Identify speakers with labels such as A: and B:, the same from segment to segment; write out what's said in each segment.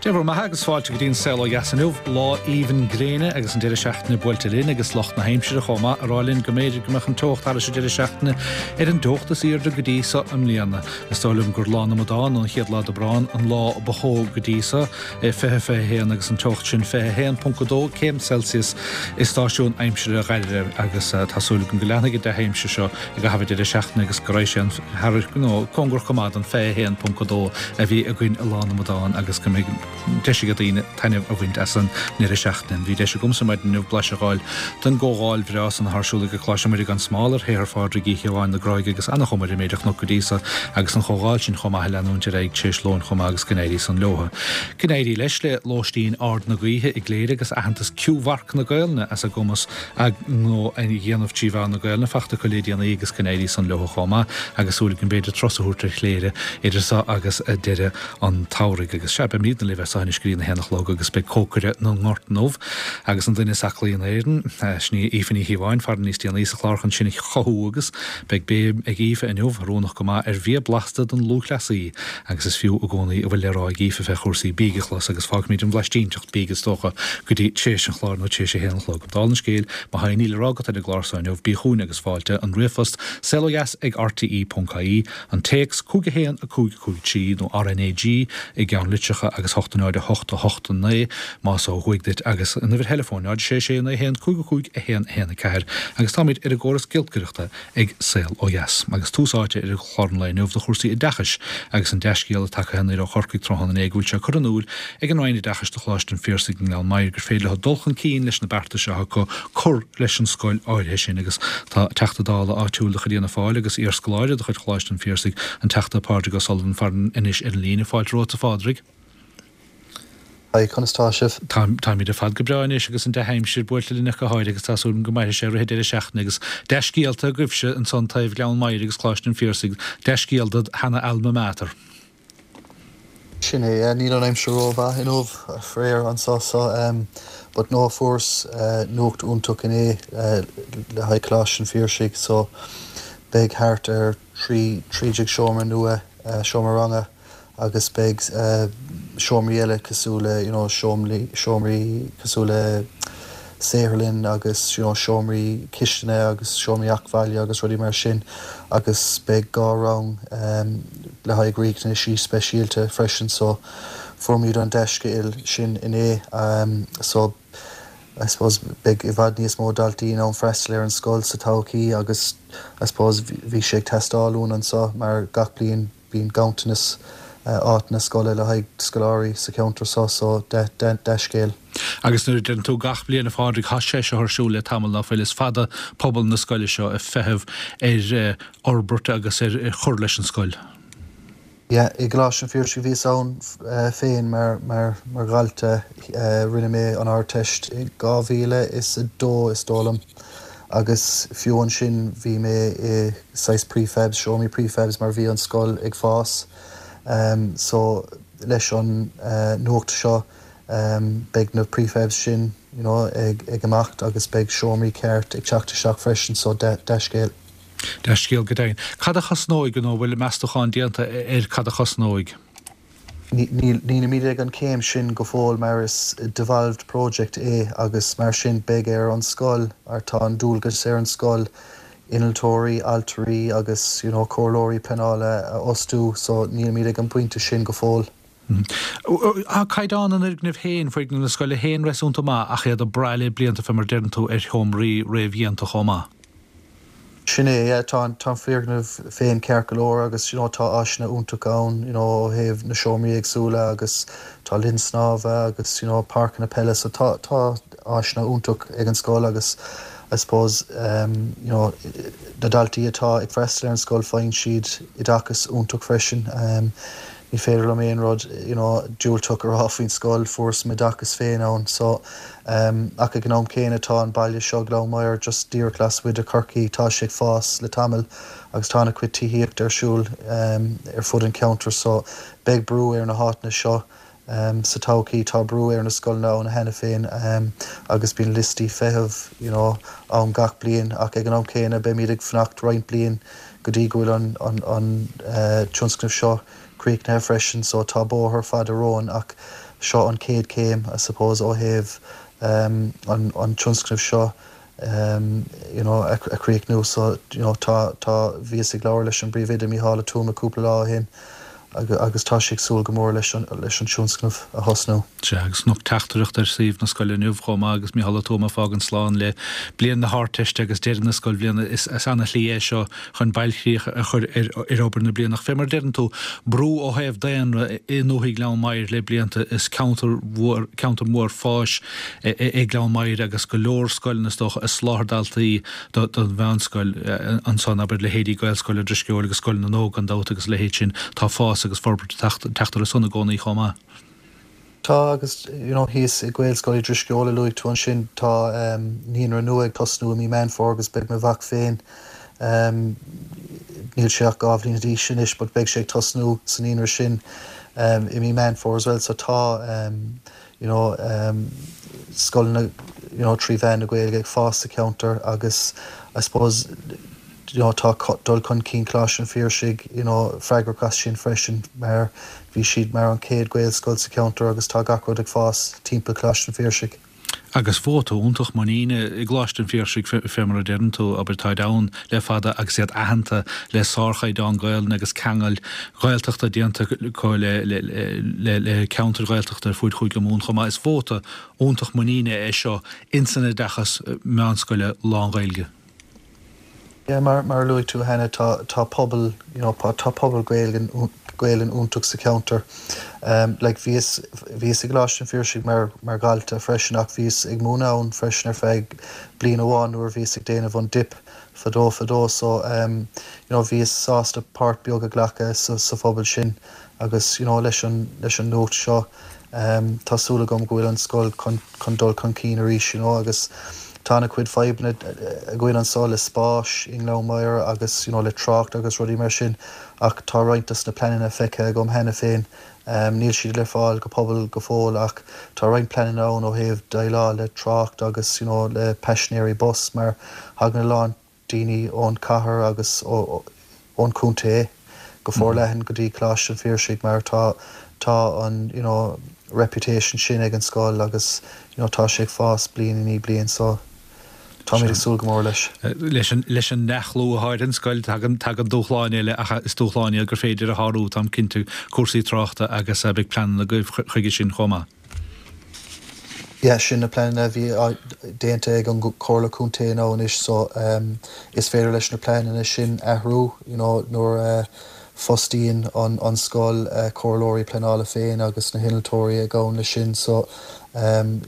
A: Dé bhur mbeatha agus fáilte go dtí an Saol Ó Dheas inniu. Lá aoibhinn gréine agus an deireadh seachtaine buailte linn agus lucht na haimsire chomh maith ag rá linn go mb'fhéidir go mbeadh an teocht thairis an deireadh seachtaine ar an dteocht is aoirde go dtí so i mbliana. Is dóigh liom gur Lá na Amadán, an chéad lá d'Aibreán, an lá ba theo go dtí so, é 20, 21 agus an teocht sin 21.2 céim Celsius i stáisiún aimsire Dhoire agus tá súil agam go leanfaidh an dea-aimsir seo i gcaitheamh an deireadh seachtaine agus go raghaidh sé an thar nó cóngarach go maith don 21.2 a bhí againn i Lá na Amadán agus go mbeidh deis ag daoine taitneamh a bhaint as an ndeireadh seachtaine. Bhí deis agamsa maidin inniu blaiseadh a fháil den gcomhdháil bhreá san atá ar siúl ag Coláiste Muire gan Smál ar shaothar Phádraig Uí Chiobháin na Gráige agus an-chuma ar an méid a chonac go dtí so agus an chomhdháil sin chomh maith ag leanúint ar aghaidh tar éis lóin chomh maith agus go n-éirí san leotha. Go n-éirí leis le Lóistín Ard na Gaoithe i gCléire agus aitheantas Q-Mharc na Gaelainne as a gcumas a ngnó a dhéanamh trí mheán na Gaelainne fachta acu le déanaí agus go n-éirí san leotha chomh maith agus súil agam b'fhéidir turas a thabhairt ar Chléire idir so agus deireadh an tsamhraidh. Agus sea, beimídne libh as so anois go dtí an haon a chlog agus beidh cócaire na nGort inniu agus an duine is aclaí in Éirinn, sin í Aoife Ní Chíobháin, farainn níos déanaí sa chlár chun sinn a chothú agus beidh béim ag Aoife inniu, oiriúnach go maith, ar bhia blasta don lúthchleasaí agus is fiú i gcónaí a bhfuil le rá ag Aoife fé chúrsaí bídh a chlos agus fágfaimid an bhlaistínteacht bídh is dócha go dtí tréis an chláir nó tréis a haon a chlog. Dála an scéil, má tá aon ní le rá agat ar an gclár so inniu, bí chugainn agus fáilte, an ríomhphost, saolodheas ag rte.ie, an téacs, 5 1 5 5 3 nó RnaG i gceannlitreacha agus 8 0 8 8 9 más ó thuaidh duit agus an uimhir theileafóin 0 6 6 9 1 5 5 1 1 4 agus táimid ar an gcóras giolcaireachta ag Saol Ó Dheas. Agus tús áite ar chlár an lae inniu do chúrsaí oideachais agus an dea-scéala tagtha aniar ó Chorcaigh tráthnóna inné go bhfuil sé curtha in iúl ag an Roinn Oideachais do Choláiste an Phiarsaigh i nGleann Maghair gur féidir leo dul chun cinn leis na beartais atá acu cur leis an scoil áirithe sin agus tá Teachta Dála áitiúil de chuid Fhianna Fáil agus iarscoláire de chuid Choláiste an Phiarsaigh, an Teachta Pádraig O'Sullivan farainn anois ar an líne. Fáilte romhat a Phádraig.
B: Hi, conas tá sibh?
A: Tá, táimid ar fad go breá anois agus an dea-aimsir buailte linn ach go háirithe agus tá súil agam go mairfidh sé i rith an deireadh seachtaine agus dea-scéalta agaibhse ansan taobh Ghleann Maghair agus Coláiste an Phiarsaigh, dea-scéal dod sheana alma mater.
B: Sin é, yeah, níl an aimsir ró-mhaith inniu, faraor, anseo so but no, fuaireas nuacht iontach inné le haghaidh Coláiste an Phiarsaigh so beidh thart ar 13 seomra nua, seomra ranga, agus beidh seomraí eile cosúil le you know seomraí seomraí cosúil le saotharlann agus you know seomraí cistine agus seomraí acmhaille agus rudaí mar sin agus beidh dhá rang le haghaidh riachtanaisí speisialta freisin so fuairimid an dea-scéal sin inné so I suppose beidh i bhfad níos mó daltaí in ann freastal ar an scoil sa todhchaí agus I suppose bhí sé ag teastáil uainn anseo mar gach bliain Bíonn ganntanas áiteanna scoile le haghaidh scoláirí sa cheantar seo so dea-scéal.
A: Agus nuair a deireann tú gach bliain a Phádraig, tá sé seo ar siúl le tamall ná fuil, is fada pobal na scoile seo ag feitheamh ar fhorbairt agus ar chur leis an scoil.
B: Yeah, i gColáiste an Phiarsaigh bhíos ann féin mar mar mar dhalta. Rinne mé an Ardteist i 2002 is dóigh liom. Agus fiú ansin bhí mé i saghas prefabs, seomraí prefabs mar bhí an scoil ag fás. So leis an nuacht seo beidh na prefabs sin you know ag ag imeacht agus beidh seomraí ceart ag teacht isteach freisin so dea-scéal.
A: Dea-scéal go deimhin. Cad a chosnóidh nó an bhfuil meastachán déanta ar cad a chosnóidh?
B: Nílimid ag an chéim sin go fóill mar is devolved project é agus mar sin beidh ar an scoil, or tá an dualgas ar an scoil innealtóirí, ailtirí agus you know comhairleoirí pleanála a fhostú so nílimid ag an bpointe sin go fóill.
A: Tá caighdeán an fhoirgnimh féin, foirgneamh na scoile féin réasúnta maith ach iad ag brath le blianta fé mar a deireann tú ar sheomraí réamhdhéanta chomh maith.
B: Sin é, yeah, tá an, tá an foirgneamh féin ceart go leor agus you know tá áiseanna iontacha ann you know ó thaobh na seomraí éagsúla agus tá linn snámha agus you know páirceanna peile so tá, tá áiseanna iontach ag an scoil agus I suppose um you know na daltaí atá ag freastal ar an scoil faigheann siad oideachas iontach freisin um ní féidir liom aon rud you know diúltach a rá faoin scoil, fuaireas m'oideachas féin ann so Ach ag an am céanna tá an baile seo, Gleann Maghair, just díreach lasmuigh de Chorcaigh, tá sé ag fás le tamall agus tá an-chuid tithíochta ar siúl ar fud an cheantair so beidh brú ar na háiteanna seo sa todhchaí. Tá brú ar na scoileanna ann cheana féin agus bíonn liostaí feithimh you know ann gach bliain ach ag an am céanna beimid ag fanacht roinnt bliain go dtí go bhfuil an an tionscnamh seo críochnaithe freisin so tá bóthar fada romhainn ach. seo an chéad chéim I suppose ó thaobh an an tionscnamh seo you know a chríochnú so you know tá tá bhíos ag labhairt leis an bPríomhoide Mícheál Ó Tuama cúpla lá ó shin agus tá sé ag súil go mór leis an leis an tionscnamh a thosnú.
A: Sea, agus chonac teachtaireacht ar suíomh na scoile inniu chomh maith agus Mícheál Ó Tuama ag fágaint slán le bliain na hArdteiste agus deireadh na scoilbhliana. Is ana-shlí é seo chun bailchríoch a chur ar obair na bliana. Ach fé mar a deireann tú, brú ó thaobh daonra i ndúthaigh Ghleann Maghair le blianta, is ceantar mhór, ceantar mór fáis é Gleann Maghair agus go leor scoileanna is dócha ag soláthar daltaí don mheánscoil ansan, abair leithéidí Gaelscoil an Drisceoil agus Scoil na nÓg gan dabht agus a leithéid sin. Tá fás agus forbairt ag teacht orthu san i gcónaí chomh maith.
B: Tá agus you know thíos i Gaelscoil Uí Drisceoil a luaigh tú ansin tá naíonra nua ag tosnú i mí Meán Fómhair agus beidh mo mhac féin níl sé ach 2 bhliain d'aois anois but beidh sé ag tosnú sa naíonra sin i mí Meán Fómhair as well so tá you know scoileanna you know 3 mheán na Gaeilge ag fás sa cheantar agus I suppose you know tá dul chun cinn Choláiste an Phiarsaigh you know freagrach as sin freisin mar bhí siad mar an chéad Ghaelscoil sa cheantar agus tá gach rud ag fás timpeall Choláiste an Phiarsaigh.
A: Agus vóta iontach muiníne i gColáiste an Phiarsaigh fé mar a deireann tú, abair, táid ann le fada agus iad aitheanta le sárchaighdeán Gaelainne agus ceangail Ghaeltachta déanta acu le ceantair Ghaeltachta ar fuaid Chúige Mumhan chomh maith. Is vóta iontach muiníne é seo ins an oideachas meánscoile lán-Ghaeilge.
B: Yeah, mar mar a luaigh tú cheana, tá tá pobal, you know, tá pobal Gaeilge Gaelainn iontach sa cheantar. Like bhíos bhíos i gColáiste an Phiarsaigh mar mar dhalta freisin ach bhíos ag múineadh ann freisin ar feadh bliain amháin nuair a bhíos ag déanamh an dip fadó fadó so you know bhíos sásta páirt beag a ghlacadh sa sa phobal sin agus you know leis an leis an nuacht seo Tá súil agam go bhfuil an scoil chun dul chun cinn arís you know agus tá ana-chuid fadhbanna againn anso le spáis i nGleann Maghair agus you know le trácht agus rudaí mar sin ach tá roinnt dos na pleananna feicthe agam cheana féin. Níl siad le fáil go pobal go fóill ach tá roinnt pleananna ann ó thaobh déileáil le trácht agus you know le paisinéirí bus mar thagann a lán daoine ón chathair agus ón chontae go forleathan go dtí Coláiste an Phiarsaigh mar tá tá an you know reputation sin ag an scoil agus you know tá sé ag fás bliain i ndiaidh bliain so táimid ag súil go mór leis.
A: Leis an leis an ndea-chlú atá ar an scoil tagann tagann dúshláin eile ach is dúshláin iad gur féidir a shárú táim cinnte cúrsaí tráchta agus beidh pleananna agaibh chuige sin chomh maith.
B: Yeah, sin na pleananna a bhí déanta ag an Chomhairle Contae now anois so is féidir leis na pleananna sin athrú you know nuair a fostaíonn an an scoil comhairleoirí pleanála féin agus na hinnealtóirí ag gabhann leis sin so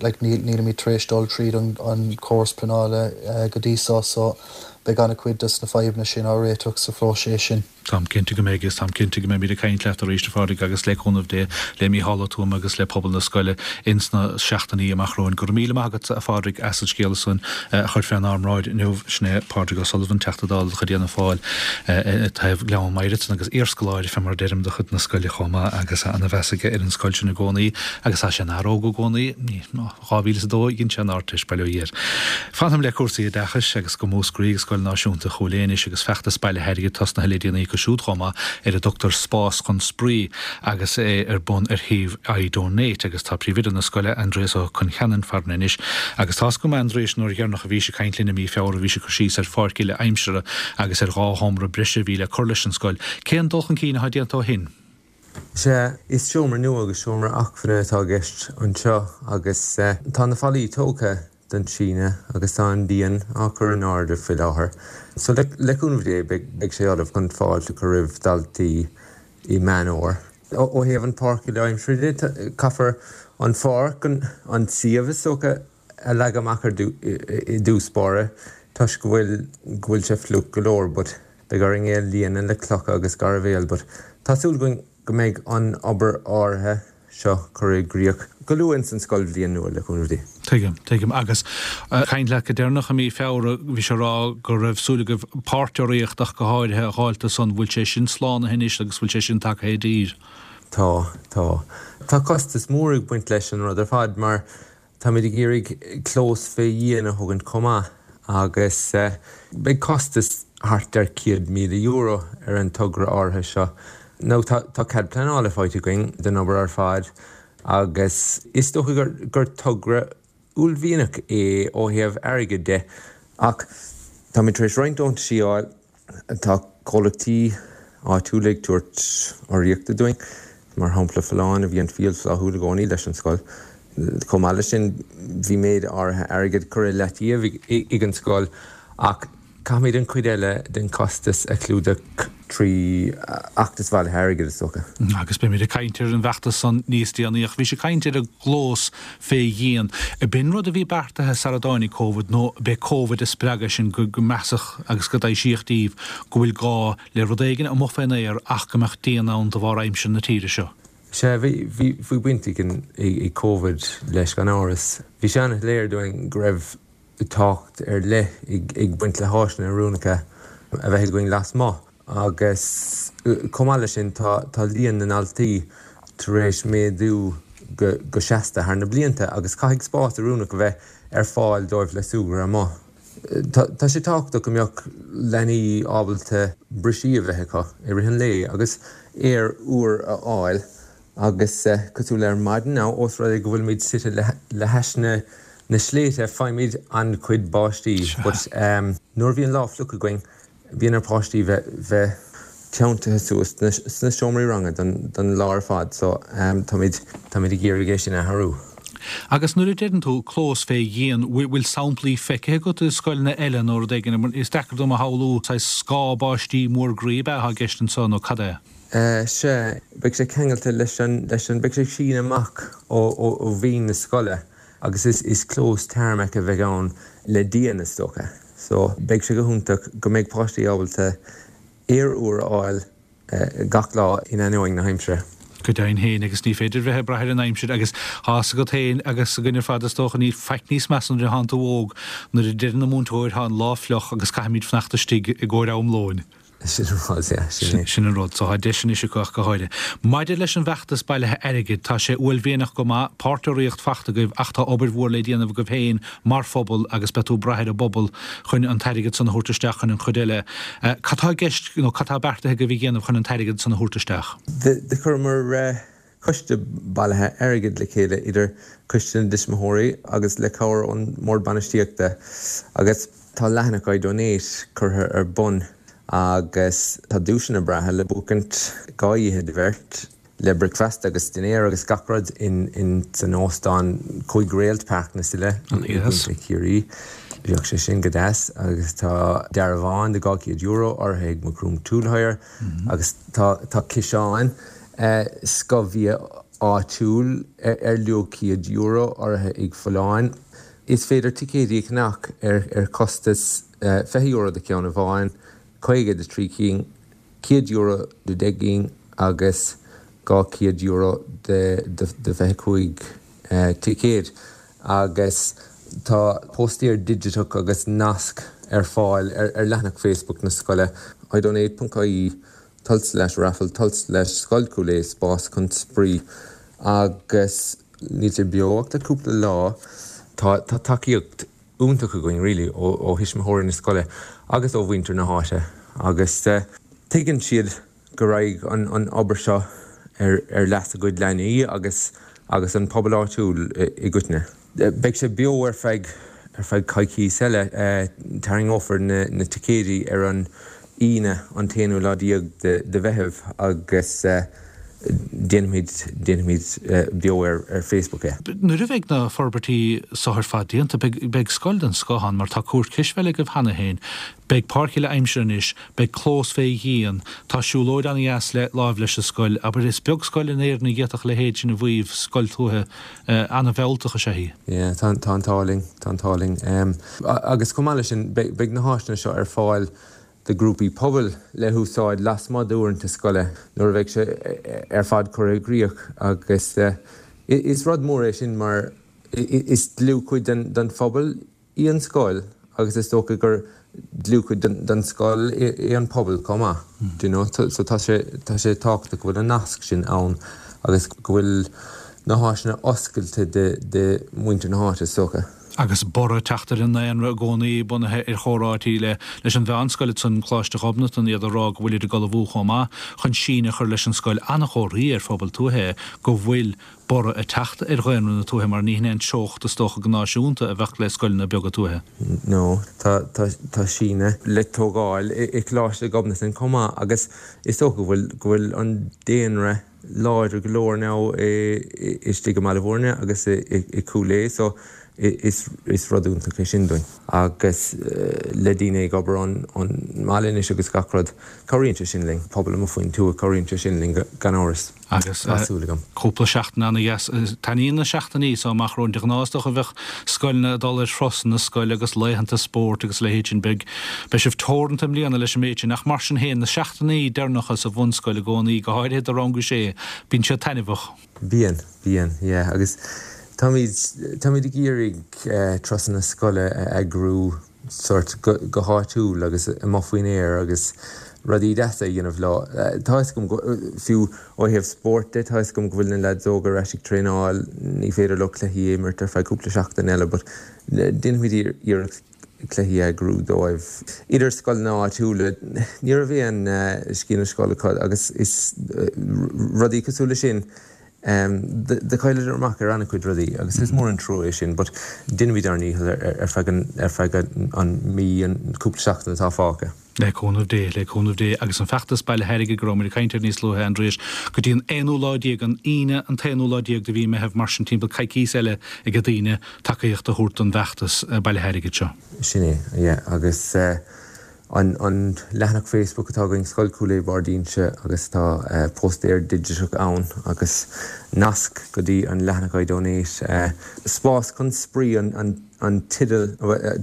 B: like níl nílimid tar éis dul tríd an an córas pleanála go dtí so so beidh an-chuid dos na fadhbanna sin á réiteach sa phróiseas sin.
A: Táim cinnte go mbeidh, agus táim cinnte go mbeimid ag caint leat arís, a Phádraig, agus le cúnamh Dé, le Mícheál Ó Tuama agus le pobal na scoile ins na seachtainí amach romhainn. Go raibh míle maith agat, a Phádraig, as an scéala san a chur fénár mbráid inniu. Sin é Pádraig O'Sullivan, Teachta Dála de chuid Fhianna Fáil i dtaobh Ghleann Maghair ansan agus iarscoláire, fé mar a deirim, de chuid na scoile chomh maith agus ana-mheas aige ar an scoil sin i gcónaí agus tá sé ina fhear óg i gcónaí. 2002 a dhein sé an Ardteist, bail ó Dhia air. Fanfaidh le cúrsaí oideachais agus go Múscraí ag Scoil Náisiúnta Chúil Aodha anois agus feachtas bailithe airgid tosnaithe le déanaí acu siúd chomh maith ar a dtugtar Spás chun Spraoi agus é ar bun ar shuíomh iDonate agus tá Príomhoide na scoile, Aindrias Ó Concheanainn farainn anois agus tá's agam a Aindriais nuair dheireanach a bhís ag caint linn i mí Feabhra bhís ag cur síos ar pháirc uile aimsire agus ar dhá sheomra breise a bhí le cur leis an scoil. Cén dul chun cinn atá déanta ó shin?
C: Sea, is seomra nua agus seomra acmhainne atá i gceist anseo agus tá na fallaí tógtha don síneadh agus tá an díon á chur in airde faoi láthair. So le cúnamh Dé beidh sé ullamh chun fáilte a chur roimh dhaltaí i Meán Fhómhair. Ó thaobh an pháirc uile aimsire de, caithfear an pháirc, an suíomh is dócha, a leagadh amach ar i dtús báire toisc go bhfuil go bhfuil sé fliuch go leor but beidh orainn é a líonadh le clocha agus gairbhéal but tá súil againn go mbeidh an obair áirithe seo curtha i gcríoch go luath ins an scoilbhliain nua le cúnamh Dé.
A: Tuigim, tuigim. Agus caint leat go deireanach i mí Feabhra bhís ag rá go raibh súil agaibh páirc urraíocht ach go háirithe a dh'fháilt do san, bhfuil sé sin slánaithe anois agus bhfuil sé sin tagtha i dtír?
C: Tá, tá. Tá costas mór ag baint leis an rud ar fad mar Táimid ag iarraidh clós fé dhíon a thógaint chomh maith agus beidh costas thart ar €100,000 ar an togra áirithe seo. Now tá cead pleanála faighte againn don obair ar fad. Agus is dócha gur togra uaillmhianach é ó thaobh airgid de, ach táimid tar éis roinnt deontaisí a fháil, tá comhlachtaí áitiúla ag tabhairt urraíochta dúinn, mar shampla Folláin a bhíonn fial flaithiúil i gcónaí leis an scoil. Chomh maith leis sin bhí méid áirithe airgid curtha i leataobh ag an scoil ach Caithfimid an chuid eile den chostas a chlúdach trí fheachtas bhailithe airgid, is dócha.
A: Agus beimid ag caint ar an bhfeachtas san níos déanaí. Ach bhís ag caint ar an gclós fé dhíon. B'in rud a bhí beartaithe sara dtáinig Covid nó b'é Covid a spreag é sin go measadh agus go dtaibhsíodh díbh go bhfuil gá le rud éigin amuigh fén aer ach go mbeadh díon ann de bharr aimsir na tíre seo?
C: Sea, bhí, bhí baint ag Covid leis gan amhras. Bhí sé an-shoiléir dúinn go raibh tábhacht ar leith ag baint le háiseanna oiriúnacha a bheith againn lasmuigh agus chomh maith leis sin tá líon na ndaltaí tar éis méadú go seasta thar na blianta agus caithfidh spás oiriúnach a bheith ar fáil dóibh le súgradh amuigh. Tá sé tábhachtach go mbeadh leanaí ábalta brisí a bheith acu i rith an lae agus aer úr a fháil Agus cosúil le ar maidin now, ós rud é go bhfuilimid suite le hais na na sléibhte, faighimid an-chuid báistí. But nuair a bhíonn lá fliuch againn, bíonn ar páistí bheith bheith teanntaithe suas sna seomraí ranga don don lá ar fad. So táimid táimid ag iarraidh é sin a athrú.
A: Agus nuair a deireann tú clós fé dhíon, bhfuil samplaí feicthe agat i scoileanna eile nó rud éigin? Is deacair dom a shamhlú, saghas scáth báistí mór groí ab ea atá i gceist anseo nó cad é?
C: Sea, beidh sé ceangailte leis an, leis an, beidh sé ag síneadh amach ó, ó, ó bhinn na scoile agus is, is clós tarmac a bheidh ann le díon, is dócha. So, beidh sé go hiontach go mbeidh páistí ábalta aer úr a fháil gach lá in ainneoin na haimsire.
A: Go deimhin féin, agus ní féidir bheith ag brath ar an aimsir agus tá fhios agat féin agus againn ar fad is dócha, níl faic níos measa nuair atánn tú óg, nuair a deireann an múinteoir tá an lá fliuch agus caithfimid fanacht istigh i gcomhair am lóin.
C: Sin an rud, yeah, sin
A: é. Sin an rud. So tá deis anois acu ach go háirithe. Maidir leis an bhfeachtas bailithe airgid, tá sé uaillmhianach go maith, páirt-urraíocht fachta agaibh ach tá obair mhór le déanamh agaibh féin mar phobal agus beidh tú ag brath ar an bpobal chun an t-airgead san a thabhairt isteach chun an chuid eile. Cad tá i gceist nó cad tá beartaithe agaibh a dhéanamh chun an t-airgead san a thabhairt isteach?
C: Do chuireamar coiste bailithe airgid le chéile idir Coiste na dTuismitheoirí agus le cabhair ón mBord Bainistíochta agus tá leathanach iDonate curtha ar bun agus tá duaiseanna breátha le buachaint, 2 oíche do bheirt le bricfeasta agus dinnéar agus gach rud in san óstán 5 réalt Páirc na Sile i gContae Chiarraí. Bheadh sé sin go deas agus tá dearbhán de €200 urraithe ag Macroom Tool Hire agus tá tá ciseáin Scothbhia áitiúil ar luach €100 urraithe ag Folláin. Is féidir ticéidí a cheannach ar chostas €20 do cheann amháin, €50 do thrí cinn, €100 do 10 gcinn agus €200 do 25 ticéad. Agus tá póstaer digiteach agus nasc ar fáil ar leathanach Facebook na scoile, idonate.ie. Tulslais raffle tulslais Scoil Chúil Aodha spás chun spraoi agus níl sé beo ach le cúpla lá. Tá tá tacaíocht iontach againn really ó ó thuismitheoirí na scoile agus ó mhuintir na háite agus tuigeann siad go raghaidh an an obair seo ar ar leas a gcuid leanaí agus agus an pobal áitiúil i gcoitinne. Beidh sé beo ar feadh ar feadh coicís eile. Tarraingeofar na na ticéidí ar an Aoine an t-aonú lá déag de de Mheitheamh agus déanfaimid déanfaimid beo ar ar Facebook é.
A: Nuair a bheidh na forbairtí so ar fad déanta beidh beidh scoil den scoth ann mar tá cúirt cispheile agaibh cheana féin, beidh páirc uile aimsire anois, beidh clós fé dhíon, tá siúlóid an-dheas le láimh leis an scoil. Abair is beag scoil in Éirinn a d'fhéadfadh a leithéid sin a mhaíomh, scoil tuaithe. An-mhealltach is ea í.
C: Yeah, tá tá an t-ádh linn, tá an t-ádh linn. Agus chomh maith leis sin, beidh beidh na háiseanna seo ar fáil do ghrúpaí pobail le húsáid lasmuigh d'uaireanta scoile nuair a bheidh sé ar fad curtha i gcrích agus is rud mór é sin mar is dlúthchuid den den phobal í an scoil agus is dócha gur dlúthchuid den scoil é an pobal chomh maith, do you know. So tá sé, tá sé tábhachtach go bhfuil an nasc sin ann agus go bhfuil na háiseanna oscailte de, de mhuintir na háite is dócha.
A: Agus borradh ag teacht ar an ndaonra i gcónaí, bunaithe ar chomhráití le leis an mheánscoil ansan, Coláiste Ghobnatan, iad ag rá go bhfuilid ag ullmhú chomh maith chun síneadh a chur leis an scoil. An-chomharthaí ar phobal tuaithe é go bhfuil borradh ag teacht ar dhaonra na tuaithe mar ní hin é an treocht is dócha go náisiúnta a bheadh le scoileanna beaga tuaithe.
C: No, tá, tá, tá síneadh le tógáil i gColáiste Ghobnatan chomh maith agus is dócha go bhfuil, go bhfuil an daonra láidir go leor now istigh i mBaile Bhúirne agus i Cúil Aodha so is rud iontach é sin dúinn. Agus le daoine ag obair ón mbaile anois agus gach rud, cabhraíonn sé sin linn. Pobal amuigh faoin tuath, cabhraíonn sé sin linn gan amhras.
A: Agus tá súil agam. Cúpla seachtain ana-dheas. Taitníonn na seachtainí so amach romhainn. De ghnáth is dócha bheadh scoileanna ag dul ar thurasanna scoile agus laethanta spóirt agus a leithéid sin. Beidh Beidh sibh teoranta i mbliana leis an méid sin ach mar sin féin, na seachtainí deireanacha sa bhunscoil i gcónaí, go háirithe do rang a sé, bíonn siad taitneamhach.
C: Bíonn, bíonn, yeah. Agus táimid, táimid ag iarraidh turasanna scoile a eagrú sórt go, go háitiúil agus amuigh faoin aer agus rudaí deasa a dhéanamh leo. Tá 'fhios agam go, fiú ó thaobh spóirt de, tá 'fhios agam go bhfuil na leaids óga ar ais ag traenáil, ní féidir leo cluichí a imirt ar feadh cúpla seachtain eile but déanfaimid iarracht cluichí a eagrú dóibh. Idir scoileanna áitiúla, ní raibh aon sciath na scoile acu agus is rudaí cosúil le sin, do chailleadar amach ar an-chuid rudaí agus is mór an trua é sin but déanfaimid ár ndícheall ar feadh an, ar feadh an mí, an cúpla seachtain atá fágtha.
A: Le cúnamh Dé, le cúnamh Dé. Agus an feachtas bailithe airgid go rabhamar ag caint air níos luaithe, Aindrias, go dtí an aonú lá déag, an Aoine an t-aonú lá déag de mhí Meitheamh, mar sin timpeall coicíos eile ag daoine tacaíocht a thabhairt don bhfeachtas bailithe airgid seo.
C: Sin é, yeah. Agus an an leathanach Facebook atá againn, Scoil Chúil Aodha Barr d'Inse agus tá póstaer digiteach ann agus nasc go dtí an leathanach iDonate. Spás chun spraoi an an teideal,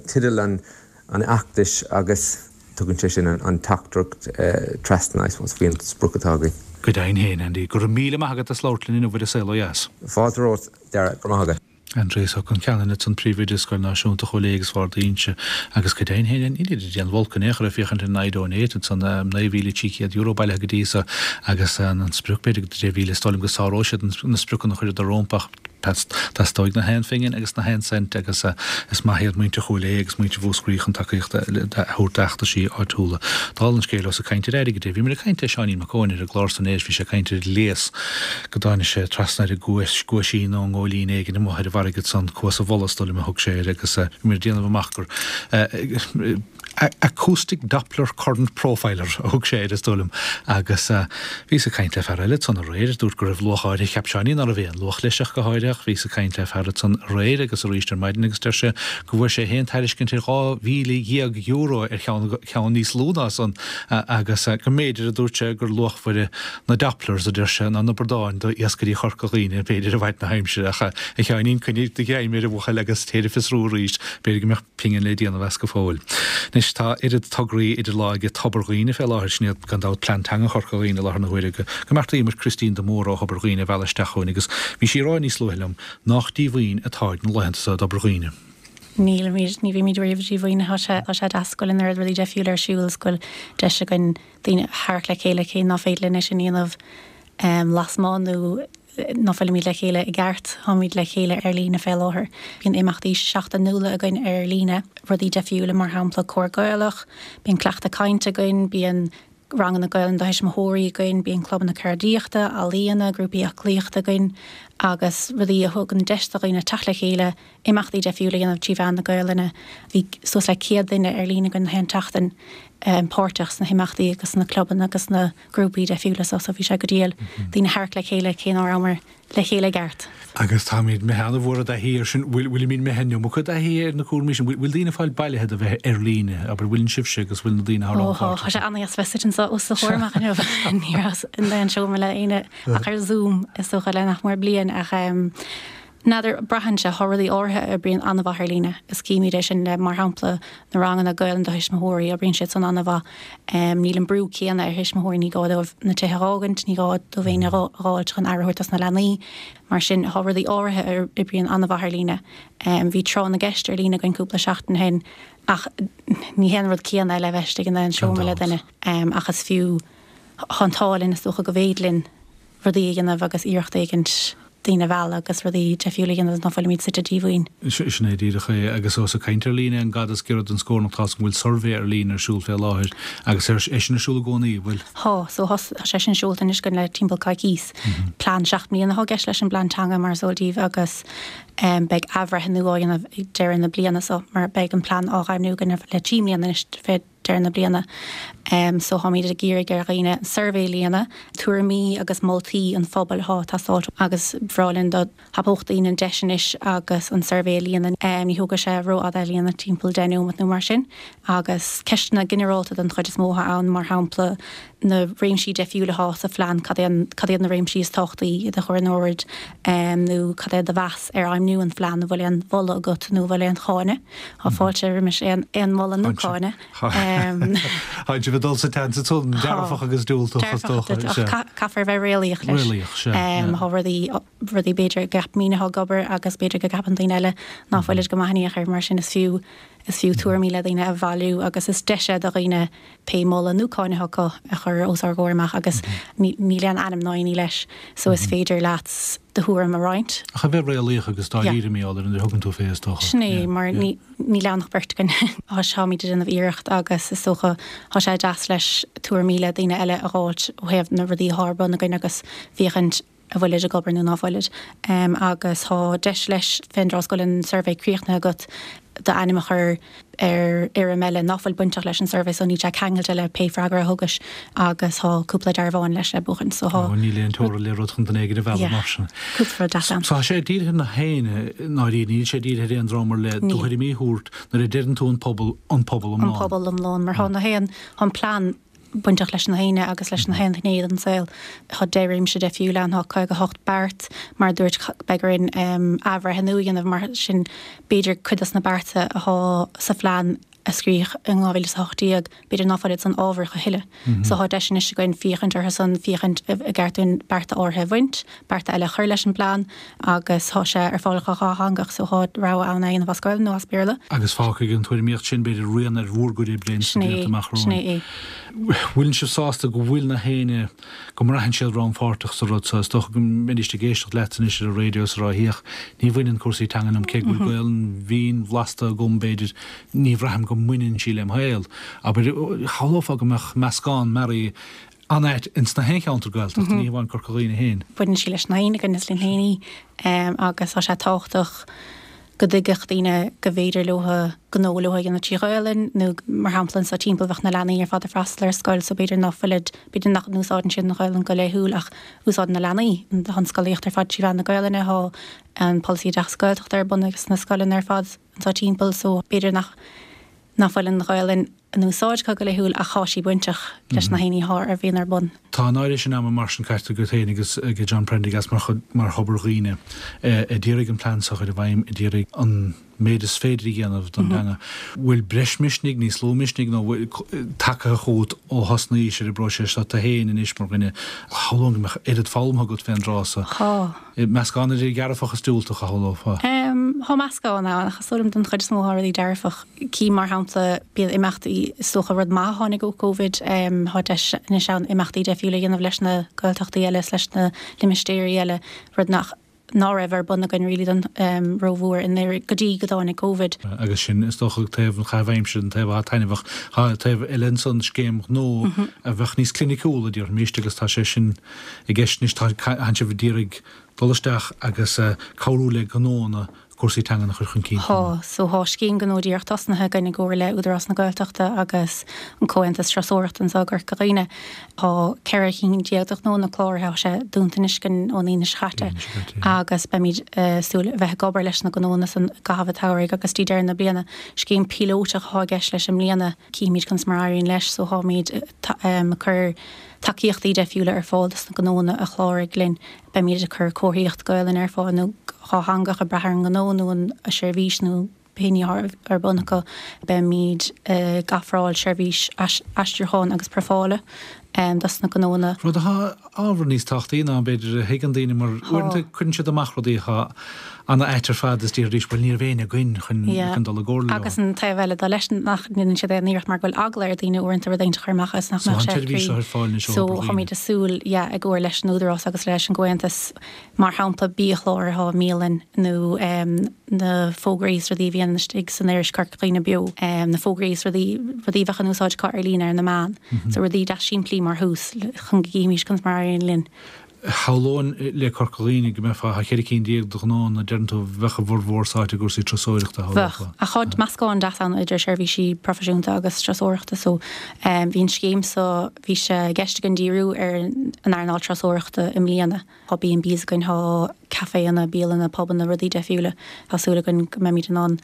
C: teideal an an fheachtais agus tugann sé sin an teachtaireacht trasna, I suppose, faoin sprioc atá againn.
A: Go deimhin féin, Andy. Go raibh míle maith agat as labhairt linn inniu ar An Saol Ó Dheas.
C: Fáilte romhat, Dara. Go raibh maith agat.
A: Aindrias Ó Concheanainn ansan, Príomhoide Scoil Náisiúnta Chúil Aodha agus Bharr d'Inse agus go deimhin féin, nílid ag déanamh olc in aon chor ag féachaint ar an iDonate ansan, €9,300 bailithe go dtí so agus an sprioc b'fhéidir go 10,000, is dóigh liom go sáróidh siad na spriocanna a chuireadar rompu ach Teastóidh na haon phingin agus na haon cent agus is maith iad muintir Chúil Aodha agus muintir Mhúscraí chun tacaíocht a thabhairt d'fheachtaisí áitiúla. Dála an scéil, ós ag caint ar airgead é, bhíomar ag caint le Seáinín Mac Eoin ar an gclár san aréir, bhí sé ag caint ar ghléas go dtáinig sé trasna ar an gcuas, guaisín nó an ngóilín éigin amuigh ar an bhfarraige ansan, cuas an bhulla is dóigh liom a thug sé air agus bhíomar ag déanamh amach gur Acoustic Doppler Current Profiler a thug sé air, is dóigh liom, agus bhíos ag caint le fear eile ansan aréir a dúirt go raibh luach áirithe, cheap Seáinín ná raibh aon luach leis ach go háirithe, ach bhíos ag caint le fear ansan aréir agus arís ar maidin agus deir sé go bhfuair sé féin tairiscint ar €12,000 ar cheann, ceann níos lú ná san agus go mb'fhéidir, a dúirt sé, gur luachmhaire na Dopplers, a deir sé, ná na bradáin do iascairí Chorca Dhuibhne, b'fhéidir, i bhfaid na haimsire ach a Sheáinín, coinnigh do ghreim air, a bhuachaill, agus téir ag fiosrú arís, b'fhéidir go mbeadh. pingin le déanamh as go fóill. Anois tá oiread tograí idir lámha ag Tobar Dhuibhne fé láthair, sin iad gan dabht Plean Teanga Chorca Dhuibhne i láthair na huaire, go mbeartaíomar Christine de Mórdha ó Thobar Dhuibhne a mhealladh isteach chugainn agus bhí sí ag rá níos luaithe liom nách díomhaoin atáid na laethanta so i dTobar Dhuibhne.
D: Nílimid, ní bhímid riamh díomhaoin. Tá sé, tá sé deas go bhfuil an oiread rudaí deifriúla ar siúl is go bhfuil deis againn daoine a tharrac le chéile cé ná féidir linn é sin a dhéanamh lasmuigh nó ná fuilimid le chéile i gceart, táimid le chéile ar líne fé láthair. Bíonn imeachtaí seachtainiúla againn ar líne, rudaí deifriúla mar shampla Cór Gaelach, bíonn cleachtadh cainte againn, bíonn ranganna Gaelainne do thuismitheoirí againn, bíonn clubanna ceardaíochta, ealaíona, grúpaí aclaíochta againn agus rudaí a thugann deis do dhaoine teacht le chéile, imeachtaí deifriúla a dhéanamh trí mheán na Gaelainne. Bhí suas le 100 duine ar líne againn na haon tseachtain páirteach sna himeachtaí agus sna clubanna agus sna grúpaí deifriúla so so bhí sé go diail daoine a tharrac le chéile cé ná rabhamar le chéile i gceart.
A: Agus táimid imithe an-mhór i dtaithí air sin. Bhfuil, bhfuilimid imithe an iomarca i dtaithí ar na cúraimí sin? Bhfuil, bhfuil daoine ag fáil bailithe do bheith ar líne? Abair, bhfuileann sibhse agus bhfuil na daoine
D: thar Ó tá, tá sé an-dheas bheith suite anseo os do chomhair amach inniu. Ní rabhas in aon seomra le éinne ach ar Zoom is dócha le nach mór bliain ach N'fheadar, braitheann sé, tá rudaí áirithe a oibríonn an-mhaith ar líne, is címid é sin le, mar shampla, na ranganna Gaelainn do thuismitheoirí, oibríonn siad san an-mhaith. Níl an brú céanna ar thuismitheoirí, ní gá dóibh na tithe a dh'fhágaint, ní gá dóibh éinne a dh'fháilt chun aire a thabhairt dos na leanaí. Mar sin, tá rudaí áirithe a oibríonn an-mhaith ar líne. Bhí tráth na gceist ar líne againn cúpla seachtain ó shin ach ní hé an rud céanna é le bheith istigh in aon seomra le duine ach is fiú, tá an t-ádh linn is dócha go bhféidir linn rudaí a dhéanamh agus iarracht éigint. daoine a mhealladh agus rudaí deifriúla a dhéanamh ná fuilimid suite díomhaoin.
A: Sin é díreach é. Agus ós ag caint ar líne an gad is giorra don scór nó tá's agam go bhfuil suirbhé ar líne ar siúl fé láthair agus é sin ar siúl i gcónaí, an bhfuil?
D: Thá. So thá sé sin seolta anois againn le timpeall coicís. Plean 7 mbliana athá i gceist leis an bplean teanga mar is eol daoibh agus beidh athbhreithniú á dhéanamh ag deireadh na bliana so mar beidh an plean á dhaingniú againn le 3 mbliana anois fé deireadh na bliana. So táimid ag iarraidh ar dhaoine an suirbhé a líonadh, tuairimí agus moltaí an phobail atá ag teastáilt agus ba bhreá linn dá dtapódh daoine an deis anois agus an suirbhé a líonadh. Ní thógfaidh sé rófhada é a líonadh, timpeall 10 nóiméad nó mar sin. Agus ceisteanna ginearálta den chuid is mó atá ann, mar shampla na réimsí deifriúla atá sa phlean, cad é an, cad iad na réimsí is tábhachtaí i do chur in ord nó cad é do mheas ar fheidhmniú an phlean, an bhfuil aon mholadh agat nó an bhfuil aon cháineadh? Tá fáilte roimis aon aon mholadh nó cáineadh.
A: Tá sibh ag dul sa tseans ansan, dearfach agus diúltach is dócha.
D: Dearfach, ach caithfear a bheith réalaíoch leis.
A: Réalaíoch, sea.
D: Tá rudaí, rudaí b'fhéidir go gceapaimidne atá ag obair agus b'fhéidir go gceapann daoine eile ná fuilid go maith in aon chor, mar sin is fiú, is fiú tuairimí le daoine a bhailiú agus is deis é do dhaoine pé moladh nó cáineadh acu a chur os ár gcomhair amach agus níl aon ainm ná aon ní leis so is féidir leat do thuairim a roinnt.
A: Ach a bheith réalaíoch agus dáiríre mar gheall ar an a thugann tú fé is dócha.
D: Sin é, mar níl ann ach beirt againn. Táimid ag déanamh iarracht agus is dócha tá sé deas leis tuairimí le daoine eile a dh'fháilt ó thaobh na rudaí atá ar bun againn agus féachaint an bhfuilid ag obair nó ná fuilid. Agus tá deis leis fén dtráth is go bhfuil an suirbhé críochnaithe agat d'ainm a chur ar fhoirm eile ná fuil bainteach leis an suirbhé so níl sé ceangailte le pé freagra a thugais agus tá cúpla dearbhán leis le buachaint so
A: tá. Níl aon teorainn le rud chun duine éigin a mhealladh mar sin.
D: Cúpla rud deas ann.
A: So tá sé dírithe ar na héinne i ndáiríre, níl sé dírithe ar aon dream ar leith, do thuairimí a thabhairt nuair a deireann tú an pobal, an pobal
D: iomlán. An pobal iomlán mar tá na haon, tá an plean bainteach leis na héinne agus leis na haon ghné den saol. Tá 10 réimse deifriúla ann, tá 58 beart, mar a dúirt, beidh orainn athbhreithniú a dhéanamh, mar sin b'fhéidir cuid dos na bearta atá sa phlean a scríodh in 2018, b'fhéidir ná fuilid san ábhar a thuilleadh. So tá deis anois againn féachaint orthu san, féachaint an gceart dúinn bearta áirithe a bhaint, bearta eile a chur leis an bplean agus tá sé ar fáil go dhátheangach so tá rogha ann é a dhéanamh as Gaelainn nó as Béarla.
A: Agus fágfaidh an tuairimíocht sin, b'fhéidir, rian ar bhur gcuid oibre ins na blianta amach
D: romhainn. Sin é.
A: Bhfuileann sibh sásta go bhfuil na héinne, go mbraitheann siad rannpháirteach sa rud seo? Is dócha go mbeidís ag éisteacht leat anois ar an raidió is ag rá 'Féach, ní bhaineann cúrsaí teanga liom, cé go bhfuil Gaelainn mhín bhlasta agam, b'fhéidir, ní bhraithim go mbaineann sí lem shaol. Abair, shamhlófá go mbeadh meascán mearaí an-ait ins na haon cheantar Gaeltachta, ní hamháin Corca Dhuibhne féin.
D: Baineann sí leis na héinne againn is linn féin í agus tá sé tábhachtach go dtuigfeadh daoine go bhféidir leo gnó leo a dhéanamh trí Ghaelainn nó mar shampla anseo timpeall bheadh na leanaí ar fad ag freastal ar scoil so b'fhéidir ná fuilid, b'fhéidir nach n-úsáideann siad an Ghaelainn go laethúil ach úsáideann na leanaí tá an scolaíocht ar fad trí mheán na Gaelainne, tá an polasaí oideachas Gaeltachta ar bun ag sna scoileanna ar fad anseo timpeall so b'fhéidir nach nach bhfuil an Ghaelainn in úsáid acu go laethúil ach tá sí bainteach leis na haon ní a bhíonn ar bun.
A: Tá an oiread sin ama mar sin caite agat féin agus ag John Prendergast mar chuid, mar Thobar Dhuibhne a d'iarraidh an plean seo a chur i bhfeidhm, a d'iarraidh an méid is féidir a dhéanamh don teanga. Bhfuil breis misnigh, níos lú misnigh nó bhfuil tagtha chugat ó thosnaís ar an bpróiseas seo tú féin anois mar dhuine? Shamhlóinn go mbeadh oiread foghlamtha agat fén dtráth so.
D: Tá.
A: Meascán idir dhearfach is diúltach, a shamhlófá.
D: Tá meascán ann, ach is dóigh liom den chuid is mó tá rudaí dearfach. Cím, mar shampla, bíonn imeachtaí, is dócha rud maith a tháinig ó Covid, tá deis anois ann imeachtaí deifriúla a dhéanamh leis na Gaeltachtaí eile is leis na limistéirí eile, rud nach ná raibh ar bun againn really don rómhór i ndáiríre go dtí go dtáinig Covid.
A: Agus sin, is dócha, taobh an chaithimh aimsire, an taobh atá taitneamhach. Tá taobh eile ansan, scéim ghnó a bheadh níos cliniciúla, déarfaimis, agus tá sé sin i gceist anois. Tá sibh ag iarraidh dul isteach agus cabhrú le gnóanna cúrsaí teangan a chur chun cinn.
D: Thá. So thá scéim gnó díreach tosnaithe againn i gcomhar le Údarás na Gaeltachta agus an Comhaontas Turasóireachta anseo i gCorca Dhuibhne. Thá 14 chinn de ghnónna cláraithe, thá sé dúnta anois againn ón Aoine seo chaite agus beimid ag súil a bheith ag obair leis na gnónna san i gcaitheamh an tsamhraidh agus dtí deireadh na bliana. Scéim píolótach athá i gceist leis i mbliana, cífimid conas mar a éiríonn leis. So tháimid ag cur tacaíochtaí deifriúla ar fáil dos na gnónna a chláraigh linn. Beimid ag cur comharthaíocht Gaelainne ar fáil nó dhátheangach ag brath ar an ngnó nó an seirbhís nó pé ní atá ar bun acu. Beimid ag ofráil seirbhís aistriúcháin agus profála. dos na gnóanna.
A: Rud atá ábhar níos tábhachtaí ná b'fhéidir a thuigeann daoine mar uaireanta cuireann siad amach rudaí atá ana-ait ar fad is déarfaidís bhuel ní raibh éinne againn chun chun dul i gcomhairle leo.
D: Agus an taobh eile de leis nach ndéanann siad aon iarracht mar go bhfuil eagla ar daoine uaireanta rud éigin a chur amach agus nach mbeadh sé cruinn.
A: So
D: táimid ag súil yeah i gcomhar leis an Údarás agus leis an gComhaontas mar shampla biachláir atá i mbialann nó na fógraí is rudaí a bhíonn istigh san iris Corca Dhuibhne Beo, na fógraí is rudaí rudaí a bheadh in úsáid acu ar líne ar na meáin. So rudaí deas simplí mar thús chun go gcífimís conas mar a éiríonn linn.
A: Shamhlóinn le Corca Dhuibhne go mbeifeá thar 14 cinn de ghnóanna, deireann tú, bheadh a bhformhór sáite i gcúrsaí turasóireachta,
D: shamhlófá. Bheadh. Ach tá meascán deas ann idir seirbhísí proifisiúnta agus turasóireachta so bhí an scéim so, bhí sé i gceist againn díriú ar an earnáil turasóireachta i mbliana. Tá B and Bs againn, tá caiféanna, bialanna, pubanna, rudaí deifriúla. Tá súil againn go mbeimid in ann an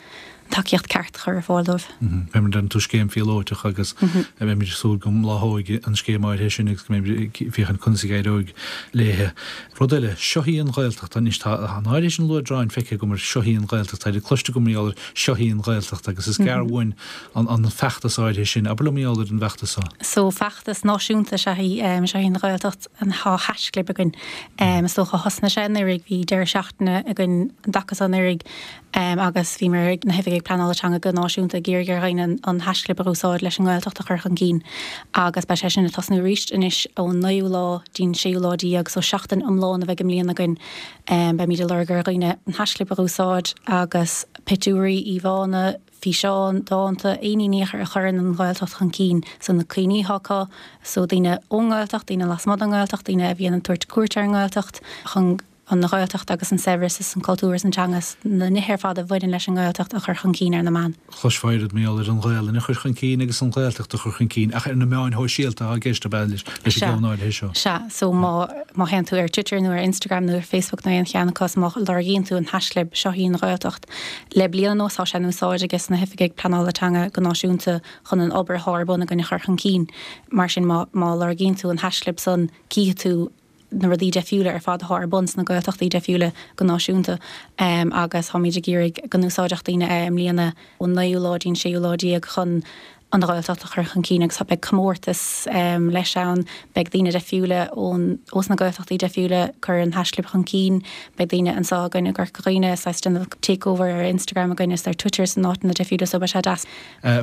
D: tacaíocht ceart a chur ar fáil dóibh.
A: Beimid, deireann tú, scéim phíolóiteach agus beimid ag súil go mbláthóidh an scéim áirithe sin agus go mbeimid ag féachaint conas a éireoidh léithe. Rud eile, seo í an Ghaeltacht. Anois tá an áirithe sin luaidreáin feicthe agam ar seo í an Ghaeltacht, tá siad cloiste agam mar gheall ar seo í an Ghaeltacht agus is gearr uainn an feachtas áirithe sin. Abair liom mar gheall ar an bhfeachtas
D: so. So feachtas náisiúnta is ea í, seo í an Ghaeltacht. Tá haischlib againn. Is dócha thosnaigh sé anuraidh, bhí deireadh seachtaine againn an dtaca so anuraidh agus bhíomar ag na hoifigigh pleanála teanga go náisiúnta ag iarraidh ar dhaoine an haischlib a úsáid leis an nGaeltacht a chur chun cinn agus beidh sé sin ag tosnú arís anois ón naoú lá dtí'n séú lá déag so seachtain iomlán a bheidh i mbliana againn. Beimid ag lorg ar dhaoine an haischlib a úsáid agus pictiúirí, íomhánna, físeáin, dánta, aon ní a chuireann an Ghaeltacht chun cinn, so na cuimhní atá acu, so daoine ón nGaeltacht, daoine lasmuigh den nGaeltacht, daoine a bhíonn ag tabhairt cuairt ar an nGaeltacht, chun an Ghaeltacht agus an saibhreas is an cultúr is an teanga is na nithe ar fad a bhaineann leis an nGaeltacht a chur chun cinn ar na meáin.
A: Chloisfeá oiread mar gheall ar an Ghaelainn a chur chun cinn agus an Ghaeltacht a chur chun cinn ach ar na meáin shóisialta atá i gceist ab ea leis an gceann áirithe seo?
D: Sea, so má má théann tú ar Twitter nó ar Instagram nó ar Facebook nó aon cheann acu is má lorgaíonn tú an haischlib seo í an Ghaeltacht, Le bliain anuas tá sé in úsáid ages na hoifigigh pleanála teanga go náisiúnta chun an obair atá ar bun againn a chur chun cinn. Mar sin má má lorgaíonn tú an haischlib san cífidh tú na rudaí deifriúla ar fad atá ar bun sna Gaeltachtaí deifriúla go náisiúnta agus táimid ag iarraidh go n-úsáidfeadh daoine é i mbliana ón naoú lá dtí'n séú lá déag chun an Ghaeltacht a chur chun cinn agus beidh comórtas leis ann, beidh daoine deifriúla ón ós na Gaeltachtaí deifriúla ag cur an haischlib chun cinn, beidh daoine anseo againn i gCorca Dhuibhne saghas déanamh takeover ar Instagram againn is ar Twitter is in áiteanna deifriúla so beidh sé deas.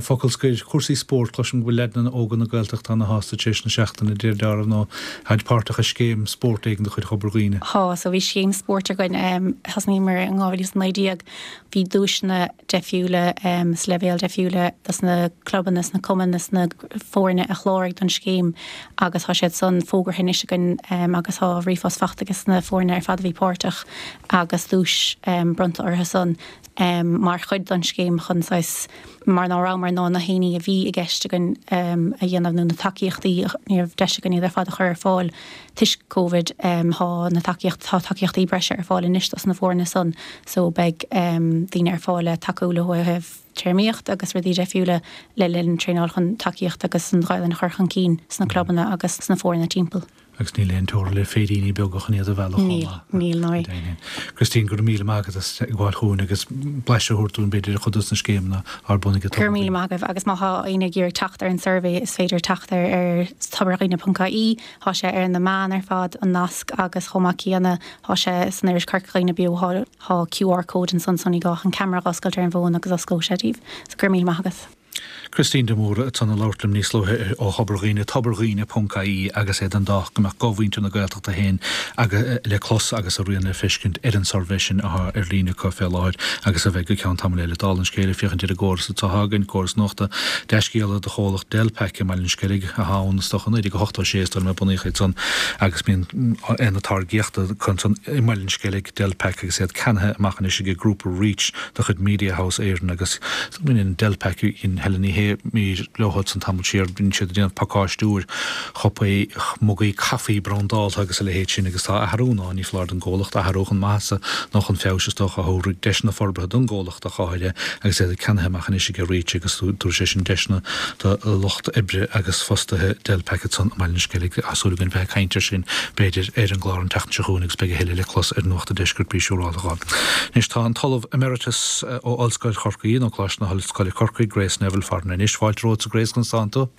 A: Focal scoir, cúrsaí spóirt, cloisim go bhfuil leaideanna óga na Gaeltachta ana shásta tar éis na seachtaine, de réir dealraimh nó táid páirteach i scéim spóirt éigin de chuid Thobar Dhuibhne.
D: Tá, so bhí scéim spóirt againn, thosnaíomar in 2019, bhí duaiseanna deifriúla is leibhéil deifriúla dos na clubanna is na cumainn is na foirne a chláraigh don scéim agus tá siad san fógartha anois againn agus tá ríomhphost fachta ages na foirne ar fad a bhí páirteach agus duais bronnta orthu san mar chuid don scéim chun saghas mar ná rabhamar in ann na haonaí a bhí i gceist againn a dhéanamh nó na tacaíochtaí ní raibh deis againn iad ar fad a chur ar fáil Toisc Covid tá na tacaíocht, tá tacaíochtaí breise ar fáil anois dos na foirne san so beidh daoine ar fáil le tacú leo ó thaobh téarmaíocht agus rudaí deifriúla le linn traenáil chun tacaíocht agus an Ghaelainn a chur chun cinn sna clubanna agus sna foirne timpeall.
A: Agus níl aon teora le féiríní beaga chun iad a mhealladh chomh
D: maith. Níl, níl, ná.
A: Christine, go raibh míle maith agat as teagmháil chugainn agus blaiseadh a thabhairt dúinn b'fhéidir ar chuid dos na scéimeanna ar bun ag
D: Go raibh míle maith agaibh agus má tá éinne ag iarraidh teacht ar an suirbhé is féidir teacht air ar tobardhuibhne.ie. Tá sé ar na meáin ar fad, an nasc, agus chomh maith céanna tá sé san iris Corca Dhuibhne Beo, tá tá QR code ansan so ní gá ach an ceamara a dh'oscailt ar an bhfón agus osclóidh sé daoibh. So go raibh míle maith agat.
A: Christine de Mórdha ansan ag labhairt liom níos luaithe ó Thobar Dhuibhne, tobardhuibhne.ie agus é den dóigh go mbeadh guth mhuintir na Gaeltachta féin le clos agus a rian le feiscint ar an suirbhé sin atá ar líne acu fé láthair agus a bheidh go ceann tamaill eile. Dála an scéil, ag féachaint ar an gcóras atá againn, córas nuachta, dea-scéala do chomhlacht Delpac i mBaile an Sceilg, atá ann is dócha 1986 is dóigh liom a bunaíodh iad san agus bíonn aonad táirgíochta acu ansan i mBaile an Sceilg, Delpac agus iad ceannaithe amach anois ag grúpa Reach de chuid Mediahouse Éireann agus baineann Delpac dhein Helen Ní Shé mír leo san tamall siar bíonn siad ag déanamh pacáistiú ar chupaí, mugaí caife brandálta agus a leithéid sin agus tá athrú ann, ní foláir don gcomhlacht athrú chun maitheasa nó chun feabhais is dócha a thabharfaidh deiseanna forbartha don gcomhlacht. ach go háirithe agus iad ceannaithe amach anois ag Reach agus tabharfaidh sé sin deiseanna do lucht oibre agus fostaithe Delpac ansan i mBaile an Sceilg. Tá súil againn bheith ag caint air sin b'fhéidir ar an gclár an tseachtain seo chugainn agus beidh a thuilleadh le clos ar Nuacht an Deiscirt bí siúrálta dhó. Anois tá an tOllamh Emeritus ó Ollscoil Chorcaí nó Coláiste na hOllscoile Corcaigh, Grace Neville farainn anois. Fáilte romhatsa Grace, conas tánn tú?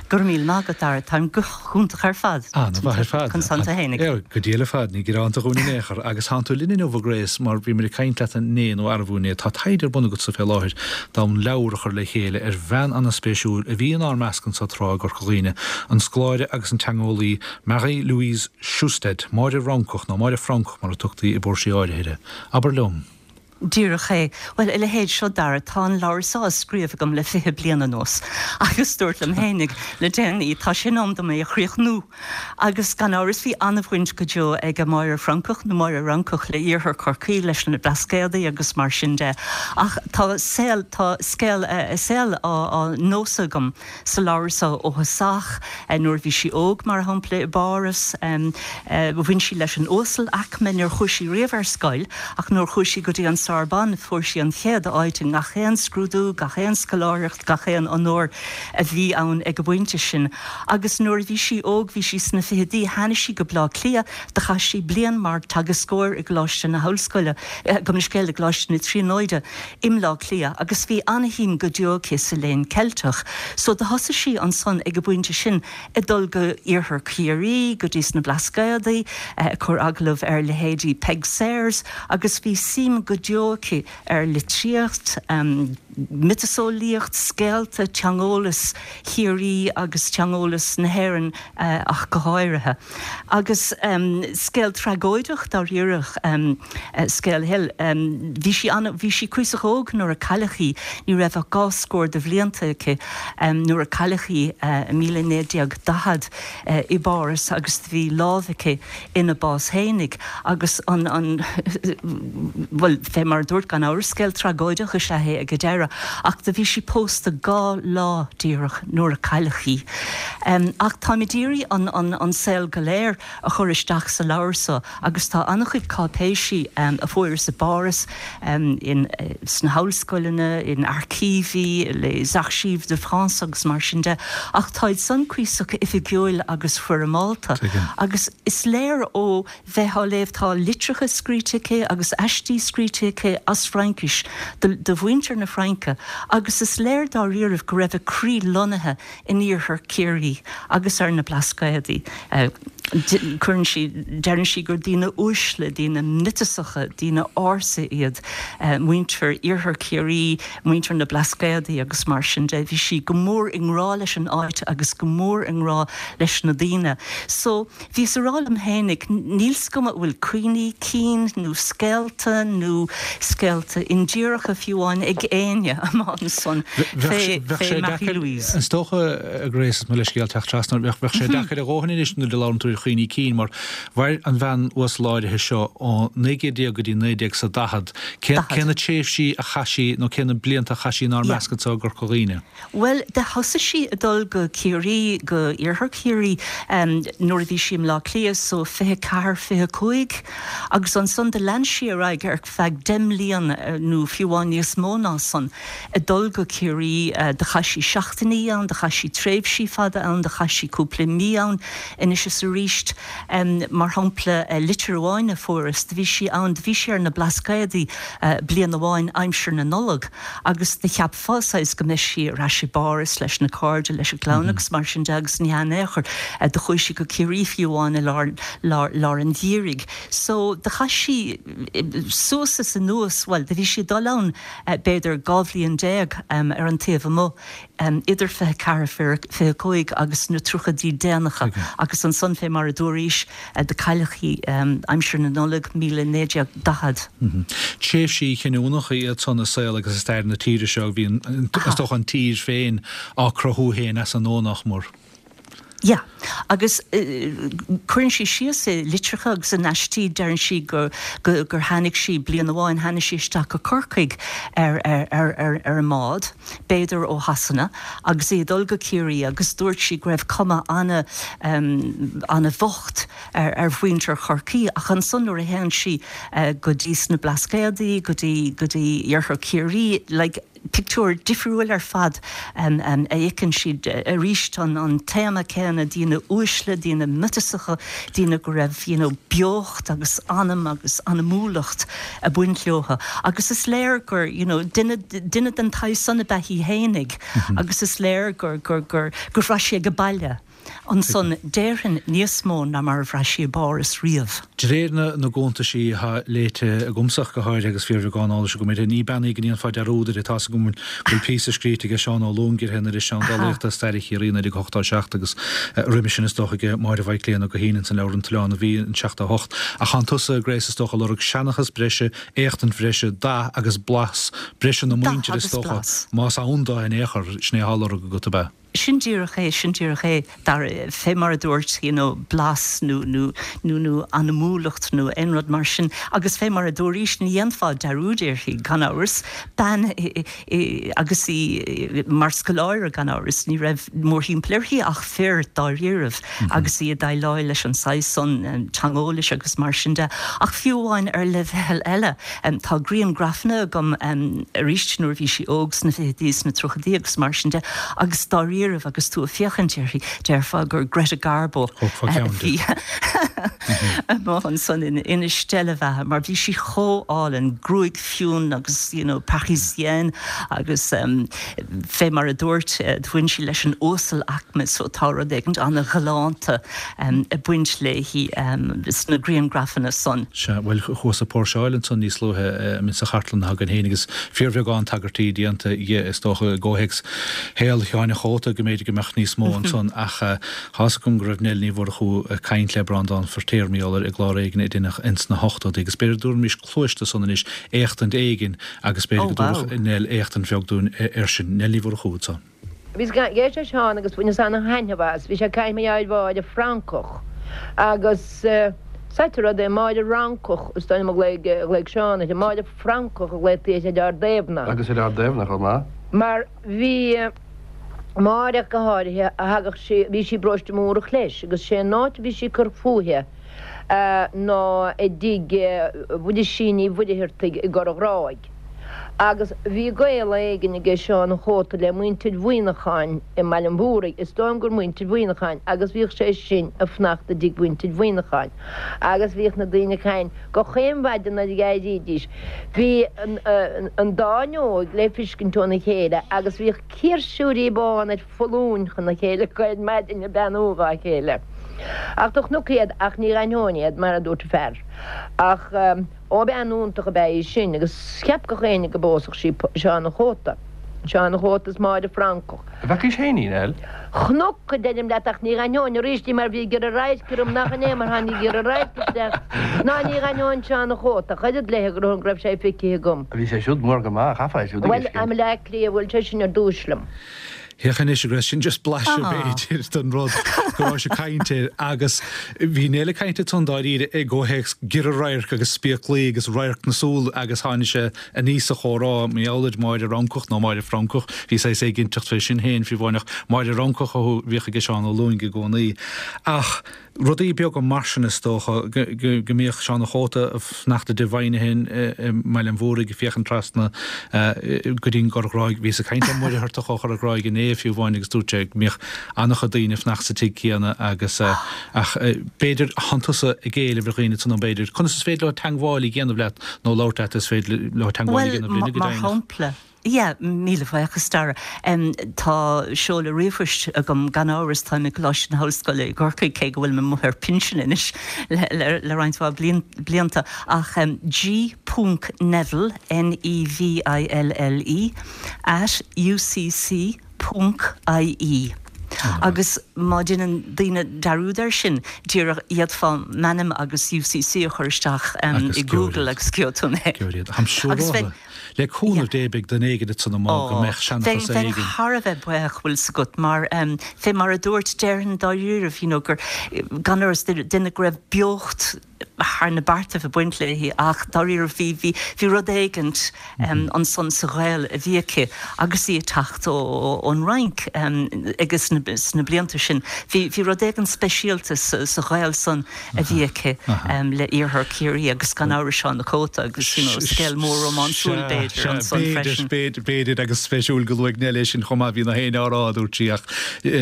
E: Go raibh míle maith agat, Dara. Táim go hiontach ar fad.
A: An-mhaith ar fad.
E: Conas tánn tú fhéinig?
A: Go diail ar fad, ní gearánta dhúinn in aon chor. Agus tánn tú linn inniu, a Grace, mar bhí muid ag caint leat inné nó arbú inné. Tá taighde ar bun agatsa fé láthair d'fhonn leabhar a chur le chéile ar bhean ana-spéisiúil a bhí inár measc anso tráth i gCorca Dhuibhne, an scoláire agus an teangeolaí Marie Louise Sjöstedt, Máire Fhrancach, nó Máire Francach mar a tugtaí i bpóirsí áirithe uirthi. Abair liom.
E: Díreach é. Bhuel, a leithéid seo, Dara, tá an leabhar seo á scríobh agam le 20 bliain anuas agus dúrt liom fhéinig le déanaí, tá sé in am dom é a chríochnú. Agus gan amhras bhí an-bhaint go deo ag Máire Francach, nó Máire Fhrancach, le Iarthar Chorcaí, leis na Blascaodaí agus mar sin de. Ach tá saol, tá scéal a saoil á nósadh agam. sa leabhar seo ó thosach. Nuair a bhí sí óg, mar shampla, i bPáras, bhain sí leis an uasalaicme. Níor chuaigh sí riamh ar scoil, ach nuair a chuaigh sí go dtí an Sorbonne, fuair sí an chéad áit i ngach aon scrúdú, gach aon scoláireacht, gach aon onóir a bhí ann ag an bpointe sin. Agus nuair a bhí sí óg, bhí sí sna fichidí, tháinig sí go Bleá Cliath, do chaith sí bliain mar teagascóir i gColáiste na hOllscoile, gabh mo leithscéal, i gColáiste na Tríonóide. i mBleá Cliath agus bhí ana-shuim go deo aici sa léann Ceilteach. So do thosaigh sí ansan ag an bpointe sin ag dul go iarthar Chiarraí, go dtí sna Blascaodaí, ag cur agallamh ar leithéidí Peig Sayers agus bhí suim go deo aici ar litríocht, miotaseolaíocht, scéalta, teangeolas Chiarraí agus teangeolas na hÉireann ach go háirithe. Agus scéal tragóideach dáiríre scéal a shaoil. Bhí sí an, bhí sí cuíosach óg nuair a cailleadh í, ní raibh ach dhá scór de bhlianta aici nuair a cailleadh í i 1940 i bPáras agus do bhí lámh aici ina bás fhéinig agus an, an, bhuel, fé mar a dúrt, gan amhras, scéal tragóideach is ea é ag an deireadh ach do bhí sí pósta dhá lá díreach nuair a cailleadh í. Ach táim ag iarraidh an, an, an saol go léir a chur isteach sa leabhar so agus tá an-chuid cáipéisí a fuaireas i bPáras, in, sna hollscoileanna, in aircíví, les archives de France agus mar sin de, ach táid san cuíosach oifigiúil agus foirmeálta. Agus is léir ó bheith á léamh, tá litreacha scríte aici agus aistí scríte aici as Fraincis do, do mhuintir na Fraince agus is léir dáiríribh go raibh a croí lonnaithe in iarthar Chiarraí agus ar na Blascaodaí. Cuireann sí, deireann sí gur daoine uaisle, daoine miotasacha, daoine ársa iad muintir iarthar Chiarraí, muintir na Blascaodaí agus mar sin de. Bhí sí go mór i ngrá leis an áit agus go mór i ngrá leis na daoine. So. Bhíos a rá liom fhéinig, níl 's agam an bhfuil cuimhní cinn nó scéalta nó scéalta indíreacha fiú amháin ag éinne amach ansan
A: fé fé Marie Louise. Is dócha, a Grace, is mo leithscéal teacht trasna ort, bheadh sé deacair a dhóthain anois nuair a labhrann tú ar chuimhní cinn mar mhair an bhean uasal áirithe seo ó 1900 go dtí 1940. Cé na tréimhsí a chaith sí nó cé na blianta a chaith sí inár measc anseo i gCorca Dhuibhne?
E: Bhuel, do thosaigh sí ag dul go Ciarraí, go Iarthar Chiarraí, nuair a bhí sí i mBleá Cliath, so 24, 25, agus ansan do lean sí ar aghaidh ar feadh deich mbliana, nó fiú amháin níos mó ná san, ag dul go Ciarraí. Do chaith sí seachtainí ann, do chaith sí tréimhsí fada ann, do chaith sí cúpla mí ann anois is aríst. Mar shampla, litir amháin a fuaireas, do bhí sí ann, do bhí sí ar na Blascaodaí bliain amháin aimsir na Nollag, agus do cheapfá saghas go mbeadh sí ar ais i bPáras leis na cairde, leis an gclann agus mar sin de agus ní hea in aon chor. Do chuaigh sí go Ciarraí fiú amháin i lár, lár, lár an gheimhridh. So, do chaith sí suas is anuas, bhuel, do bhí sí ag dul ann b'fhéidir 12 bhliain ar an taobh amuigh, idir 24, 25 agus na tríochaidí déanacha agus ansan fé mar a dúraís, Do cailleadh í aimsir na Nollag 1940.
A: Tréimhsí cinniúnacha iad san i saol agus i stair na tíre seo. Bhí, is dócha, an tír féin á cruthú féin as an nua, nach mór.
E: Yeah. Agus cuireann sí síos i litreacha agus in aistí, deireann sí gur gur tháinig sí, bliain amháin, tháinig sí isteach go Corcaigh ar ar ar ar an mbád. b'fhéidir ó Shasana, agus í ag dul go Ciarraí agus dúirt sí go raibh cuma ana, ana-bhocht ar, ar mhuintir Chorcaí ach ansan nuair a théann sí go dtí sna Blascaodaí, go dtí, go dtí Iarthar Chiarraí, like. Pictiúr difriúil ar fad a fheiceann siad arís, an téama céanna, daoine uaisle, daoine miotasacha, daoine go raibh you know beocht agus anam agus anamúlacht ag baint leothu. Agus is léir gur you know duine duine den tsaghas san ab ea í fhéinig agus is léir gur gur gur gur bhraith sí age baile. Ansan, déarfainn, níos mó ná mar a bhraith sí i bPáras riamh.
A: De réir na gcuntaisí atá léite agamsa ach go háirithe agus fíorbheagán eolais agam uirthi, ní bean í go ndéanfá dearúd uirthi. Tá's agam go bhfuil píosa scríte aige Seán Ó Lúing uirthi in Iriseán Dolaíochta, Stair Chiarraí 1987 agus roimis sin is dócha aige Máire Mhaidhc Léan Ó Guithín ins an leabhar An tOileán a Bhí in 78. Ach thánn tusa, Grace, is dócha, ag lorg seanchas breise, éachtaint bhreise, dath agus blas breise na
E: Dath
A: muintire is
E: agus
A: dócha,
E: blas.
A: más ann do in aon chor, sin é atá á lorg agat, ab ea?
E: Sin díreach é, sin díreach é, Dara, fé mar a dúirt, you know, blas nó, nó, nó, nó anamúlacht nó aon rud mar sin. Agus fé mar a dúraís, ní dhéanfá dearúd uirthi, gan amhras. Bean i, i, agus í mar scoláire, gan amhras, ní raibh mórthimpeall uirthi ach fir, dáiríribh, agus í ag déileáil leis an saghas san teangeolais agus mar sin de. Ach fiú amháin ar leibhéal eile, Tá griangrafanna agam arís nuair a bhí sí óg sna fichidí, sna tríochaidí agus mar sin de agus dáiríribh agus tú ag féachaint uirthi déarfá gur Greta Garbo a bhí amuigh ansan ina steillebheatha mar bhí sí chomh álainn, gruaig fionn agus you know parisienne agus fé mar a dúirt bhain sí leis an uasal aicme so tá rud éigint ana-ghalánta ag baint léi sna griangrafanna san.
A: Sea, bhuel, chuas ag póirseáil ansan níos luaithe sa chartlann atá againn féin agus fíorbheagán tagairtí déanta dhi, is dócha, i gcomhthéacs shaol Sheáin an Chóta, go mb'fhéidir go mbeadh níos mó ansan ach tá's agam go raibh Nell Ní Mhurchú ag caint le Breandán Feirtéar mar gheall air i gclár éigin a deineadh ins na hochtóidí agus b'fhéidir go dtabharfaimis cluais do san anois, éachtaint éigin agus b'fhéidir go dtabharfadh Nell éachtaint bheag dúinn air sin. Nell Ní Mhurchú ansan.
F: Bhíos ag éisteacht le Seán agus bhaineas ana-thaitneamh as. Bhí sé ag caint mar gheall ar Mháire Francach agus is ait an rud é, Máire Fhrancach is dóigh liom a ghlaoigh Seán uirthi, Máire Francach a ghlaotaí uirthi ar Ard Aoibhne.
G: Agus ar Ard Aoibhne chomh maith.
F: Mar bhí Máire go háirithe, a thagadh sí, bhí sí i bparóiste Mhúrach leis agus sé an áit a bhí sí ag cur fúithi ná i dtigh Mhuirisín Uí Mhuircheartaigh i gCorr an Ghráig. Agus bhí gaol éigin aige Seán an Chóta le muintir Mhuineacháin i mBaile an Mhúraigh, is dóigh liom gur muintir Mhuineacháin, agus bhíodh sé sin ag fanacht i dtigh mhuintir Mhuineacháin. Agus bhíodh na daoine ag caint gach aon mhaidin nuair a d'éirídís. Bhí an dá fhuinneog le fiscint óna chéile agus bhíodh ciarsúirí bána ar foluain chun a chéile acu ar maidin ag beannú dhá chéile. Ach do chonac iad ach ní dh'aithneoinn iad, mar a dúirt an fear. Ach. Ó, bean iontach ab ea í sin agus cheap gach éinne go bpósfadh sí Seán an Chóta. Seán an Chóta is Máire Francach.
G: An bhfeacaís féin í, Nell?
F: Chonac, a deirim leat, ach ní dh'aithneoinn arís í mar bhí giorra radhairc orm, nach in é mar tháinig giorra radhairc isteach, ná ní dh'aithneoinn Seán an Chóta ach oiread léithe go raibh sé feicthe agam.
G: Bhí sé siúd mór go maith, chaithfeá é siúd a
F: Bhuel, i mBleá Cliath, bhuail sé sin ar dtúis liom.
A: Féach anois, agus sin just blaiseadh b'fhéidir den rud go raibh sé ag caint air agus bhí Nell ag caint ansan dáiríre i gcomhthéacs giorra radhairc agus spéaclaí agus radharc na súl agus tháinig sé aníos sa chomhrá mar gheall ar Máire Fhrancach nó Máire Francach, bhí saghas éiginnteacht fé sin féin fiú amháin ach Máire Fhrancach a bhíodh aige Seán Ó Lúing i gcónaí. Ach. Rudaí beaga mar sin is dócha, go mbíodh Seán an Chóta ag fanacht i dtigh Mhoynihan i mBaile an Mhúraigh ag féachaint trasna go dtí an gCorr Ghráig. Bhíos ag caint le Muircheartach ó Chorr an Ghráig inné fiú amháin agus dúirt sé go mbíodh an-chuid daoine ag fanacht sa tigh céanna agus ach b'fhéidir thánn tusa ag éileamh ar dhaoine ansan b'fhéidir conas is féidir leo teangmháil a dhéanamh leat nó labhairt leat is féidir leo teangmháil a dhéanamh linne go
E: deimhneach. Mar shampla, Yeah, míle buíochas, Dara. Tá seoladh ríomhphoist agam, gan amhras, táim i gColáiste na hOllscoile i gCorcaigh, cé go bhfuilim amuigh ar pinsean anois le roinnt mhaith blianta, ach G ponc Neville, N-E-V-I-L-L-E, at UCC ponc IE. Agus má deineann daoine dearúd air sin, díreach d'fhéadfá m'ainm agus UCC a chur isteach i Google agus gheobhaidh tú mé.
A: Agus bheinn. Le cúnamh Dé beidh duine éigin ansan amuigh go mbeadh seanchas
E: éigin. Bheinn thar a bheith buíoch, bhfuil 's agat, mar fé mar a dúirt, déarfainn dáiríribh, you know, gur, gan amhras, duine go raibh beocht. thar na beartaibh ag baint léi ach dáiríre bhí, bhí, bhí rud éigint ansan sa ghaol a bhí aici agus í ag teacht ón Fhrainc agus sna blianta sin bhí, bhí rud éigint speisialta sa ghaol san a bhí aici le Iarthar Chiarraí agus gan amhras Seán a' Chóta agus you know scéal mór rómánsúil b'fhéidir ansan freisin.
A: B'fhéidir, b'fhéidir agus spéisiúil go luaigh Nell é sin chomh maith, bhí na héinne á rá a dúirt sí ach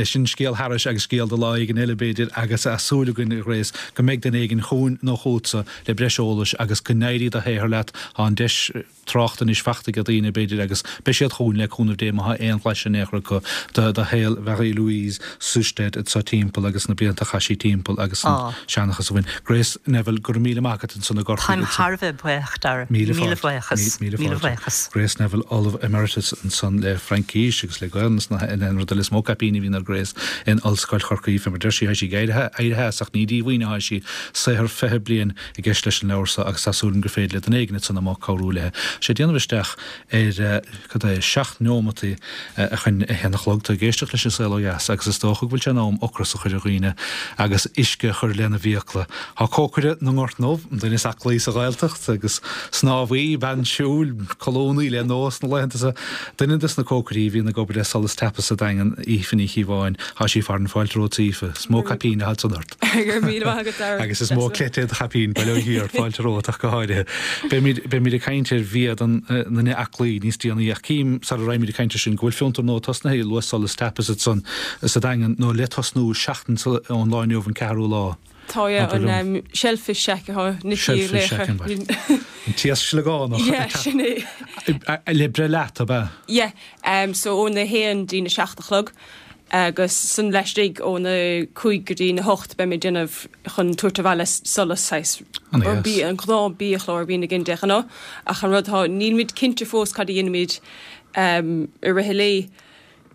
A: sin scéal thairis agus scéal do lá éigin eile b'fhéidir agus tá súil againn a Ghrace go mbeidh duine éigin chugainn nó chugatsa le breis eolais agus go n-éirí do shaothar leat. Tá an deis tráchta anois fachta ag daoine, b'fhéidir, agus beidh siad chugainn le cúnamh Dé má tá aon bhlaiseadh in aon chor acu de shaol Mharie Louise Sjöstedt anso timpeall agus na blianta a chaith sí timpeall agus an seanchas a bhain. Grace Neville, go raibh míle maith agat ansan i
E: gCorcaigh. Táim thar a bheith buíoch, Dara. Míle
A: buíochas. Míle fáilte. Grace Neville, Ollamh Emeritus ansan le Fraincis agus le Gaelainn is an rud eile is mó caipíní a bhíonn ar Grace in Ollscoil Chorcaí. Fé mar deir sí, tá sí ag éirí as ach ní díomhaoin atá sí. Saothar 20 bliain i gceist leis an leabhar seo agus tá súil agam gur féidir le duine éigin ansan amuigh cabhrú léi. Tá sé ag déanamh isteach ar, cad é, seacht neomataí chun a haon a chlog. Tá ag éisteacht leis An Saol Ó Dheas agus is dócha go bhfuil sé in am ocras a chur ar dhaoine agus uisce a chur lena bhfiacla. Tá cócaire na nGort nDubh, an duine is aclaí sa Ghaeltacht agus snámhaí, bean siúil, colúnaí le Nós na laethanta seo, duine des na cócairí a bhíonn ag obair le Solas Tapas sa Daingean, Aoife Ní Chíobháin. Tá sí farainn fáilte romhat Aoife. Is mó caipín atá ansan ort.
H: Go raibh míle maith agat, Dara.
A: Agus is mó cleite do chaipín, bail ó Dhia ort, fáilte romhat ach go háirithe. Beimid, beimid ag caint ar bhia don nduine aclaí níos déanaí ach cím, sara raghaimid ag caint ar sin, go bhfuil fiontar nua tosnaithe, luaigh Solas Tapas ansan sa Daingean, nó le tosnú seachtain ón lá inniu, an ceathrú lá.
H: Tá, yeah, an Shellfish Shack atá Nicky
A: Shellfish Shack, an An t-iasc sliogánach.
H: Yeah, sin é.
A: Le breith leat, ab ea?
H: Yeah, so óna haon dtí'n a seacht a chlog. Agus san laistigh óna cúig go dtí na hocht beimid ag déanamh chun tabhairt abhaile solas saghas
A: An
H: bia, an gnáth biachlár a bhíonn againn de ghnáth. Ach an rud atá, nílimid cinnte fós cad a dhéanfaimid i rith an lae.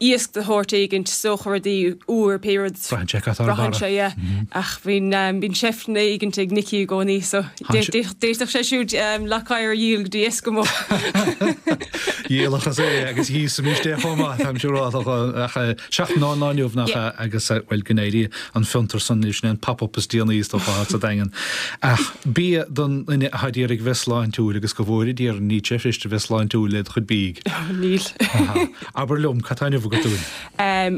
H: Iasc de shórt éigint, is dócha rudaí úr, pé rud.
A: Braitheann sé cad tá ar
H: barra. Braitheann sé, yeah. Ach bíonn, bíonn seifteanna éigint ag Nicky i gcónaí so d'fhéadfadh sé siúd Loch Oighir a dhíol go dtí Eskimo.
A: Dhíolfadh é agus dhíosfaimis é chomh maith, táim siúrálta, ach seachtain ón lá inniu nach ea, agus bhuel go n-éirí an fiontar san libh, sin é an pop-up is déanaí is dócha sa Daingean. Ach bia don duine atá d'iarraidh bheith sláintiúil agus go bhfóire Dia orainn, níl sé fuirist a bheith sláintiúil le do chuid bídh.
H: Níl.
A: Abair liom, cad tá inniu agat dúinn?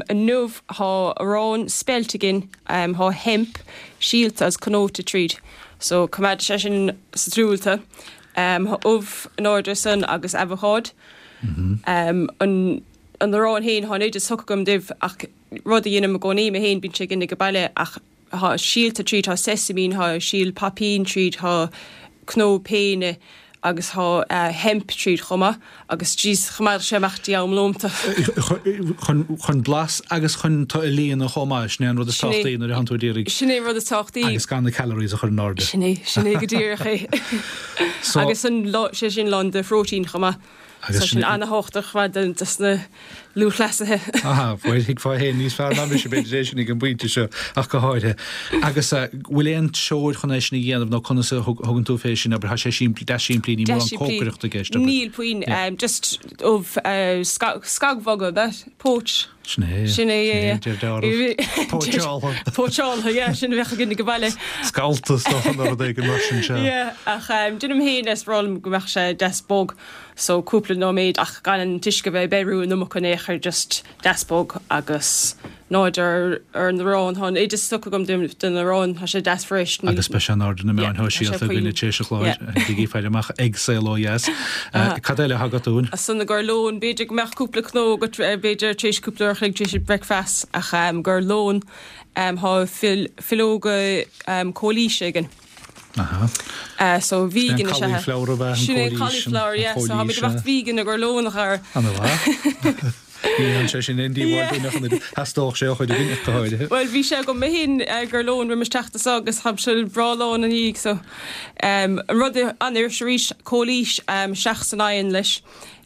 H: Inniu tá arán speilt againn, tá hemp, síolta agus cnóite tríd, so coimeádfaidh sé sin sa truaillte. Tá ubh in airde ansan agus abhacád. An arán féin, tá an oideas tugtha agam daoibh ach rud a dhéanaim i gcónaí mé féin, bíonn sé againn ag baile ach tá síolta tríd, tá sesamine, tá síol poipín tríd, tá cnó péine agus tá hemp tríd chomh maith agus jeez choimeádfadh sé amach dtí am lónta.
A: Chun blas agus chun tú a líonadh chomh maith, sin é an rud is tábhachtaí nuair a thánn tú ag iarraidh.
H: Sin é an rud is tábhachtaí.
A: Agus gan na calories a chur in airde.
H: Sin é, sin é go díreach é. Agus an, sé sin lán de phróitéin chomh maith. Agus sin ana-thábhachtach chomh maith dos na lúthchleasaithe.
A: Aha, bhuel thuigfeá féin níos fearr ná mise b'fhéidir é sin ag an bpointe seo ach go háirithe. Agus bhfuil aon treoir chun é sin a dhéanamh nó conas a thugann tú fé sin, abair, tá sé simplí, deas simplí, níl mórán cócaireachta i gceist,
H: abair. Níl puinn, just ubh scagbhogha, ab ea? Poach.
A: Sin é.
H: Sin é, yeah, yeah.
A: Sin é, deir deáramh. Póitseáltha.
H: Póitseáltha, yeah, sin a bheadh againn ag baile.
A: Scallta is dócha nó rud éigin mar sin, sea.
H: Yeah, ach déanaim féin is breá liom go mbeadh sé deas bog, so cúpla nóiméad ach gan an t-uisce a bheith ag beiriú an iomarca in aon chor, just deas bog agus in airde ar ar an arán. Tá an oideas tugtha agam don arán, tá sé deas fresh.
A: Agus beidh sé in airde na meáin shóisialta againn tar éis an chláir, bígí ag faire amach ag Saol Ó Dheas. Cad eile atá agat dúinn?
H: Ansan ag ár lón, b'fhéidir go mbeadh cúpla cnó agat, b'fhéidir tar éis cúpla uair a chloig tar éis an bricfeast ach ag ár lón tá filleoga cóilíse againn.
A: Aha.
H: So vegan is ea.
A: Sin é cauliflower ab ea an
H: cóilís. Sin é cauliflower, yeah. So táimid ag imeacht vegan ag ár lón a chara.
A: Ana mhaith. Ní dhéanann sé sin aon díobháil dúinn ach an oiread. Theastódh sé ó chuid againn ach go háirithe.
H: Bhuel bhí sé agam mé féin ag ár lón roimis teacht anso agus táimse breá lán ina dhiaidh so. An rud an-fhuirist arís, cóilís isteach san oigheann leis.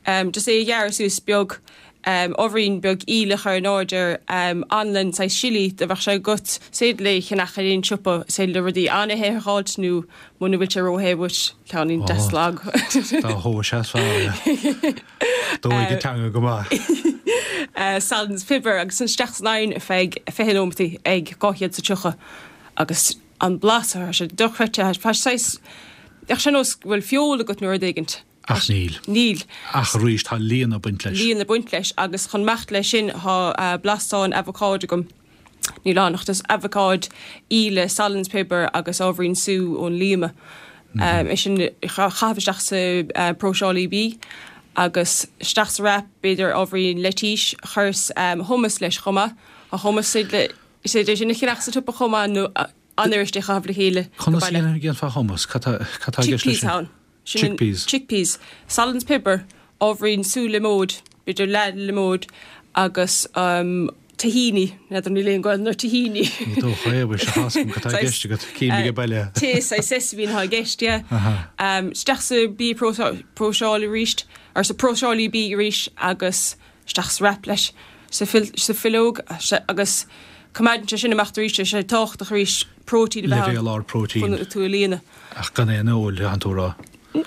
H: Just é a ghearradh suas beag. ábhairín beag aoil a chur in airde air, anlann, saghas sillí, dá mbeadh sé agat, is féidir é a cheannach ar aon siopa, is féidir le rudaí an-the a dh'fháilt nó muna bhfuil sé ró-the uait, ceainnín deas lag.
A: Dá thomhais is fearr é. Dóigh an teanga go maith.
H: Salann is piobar agus isteach san oigheann ar feadh 20 nóimeataí ag 230 agus. An blas, tá sé dochreidte, tá sé saghas, bheadh sé nós go bhfuil feoil agat nó rud éigint.
A: Ach níl.
H: Níl.
A: Ach arís, tá líon ag baint leis.
H: Líon ag baint leis agus chun imeacht leis sin tá blastán abhacáid agam. Níl ann ach just abhacáid, íle, salann is piobar agus ábhairín sú ón líoma. É sin a chaitheamh isteach sa próiseálaí bídh agus isteach sa wrap, b'fhéidir ábhairín leitís, chuireas hummus leis chomh maith. Tá hummus is féidir é sin a cheannach sa tsiopa chomh maith nó an-fhuirist é a chaitheamh le chéile
A: go Conas a baile. dhéanfá hummus? Cad tá cad tá i gceist leis
H: Chickpeas sin? ann. Sin an Chickpeas. Chickpeas. Salann is piobar, ábhairín sú liomóid, b'fhéidir leath liomóid agus tahini, n'fheadar níl aon Ghaelainn ar tahini.
A: Ní dócha é, bhuel, sea, tá's agam cad tá i gceist agat, cím ag baile.
H: Tae saghas sesamine atá i gceist, yeah. Isteach sa bia próiseálaí arís, or sa próiseálaí bídh arís agus isteach sa wrap leis, sa fhileog agus coimeádann sé sin amach arís, tá sé tábhachtach arís próitéin a bheith ann
A: Leibhéal ard próitéin.
H: chun tú a líonadh.
A: Ach gan aon fheoil, tánn tú a rá.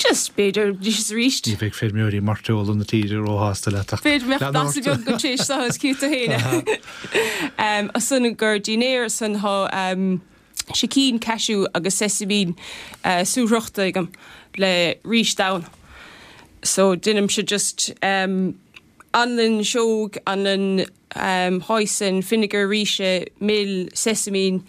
H: Just, b'fhéidir, arís is arís.
A: Ní bheidh feirmeoirí mairteola na tíre róshásta leat
H: ach B'fhéidir go mbeadh lean ort. beag agat tar éis seo is cífidh tú féin é. Ansan gur dinnéar ansan thá sicín cashew agus sesaimín súfhriochta agam le rís donn. So deinimse just anlann sióg, anlann hoisin, fínéagar ríse, mil, sesaimín,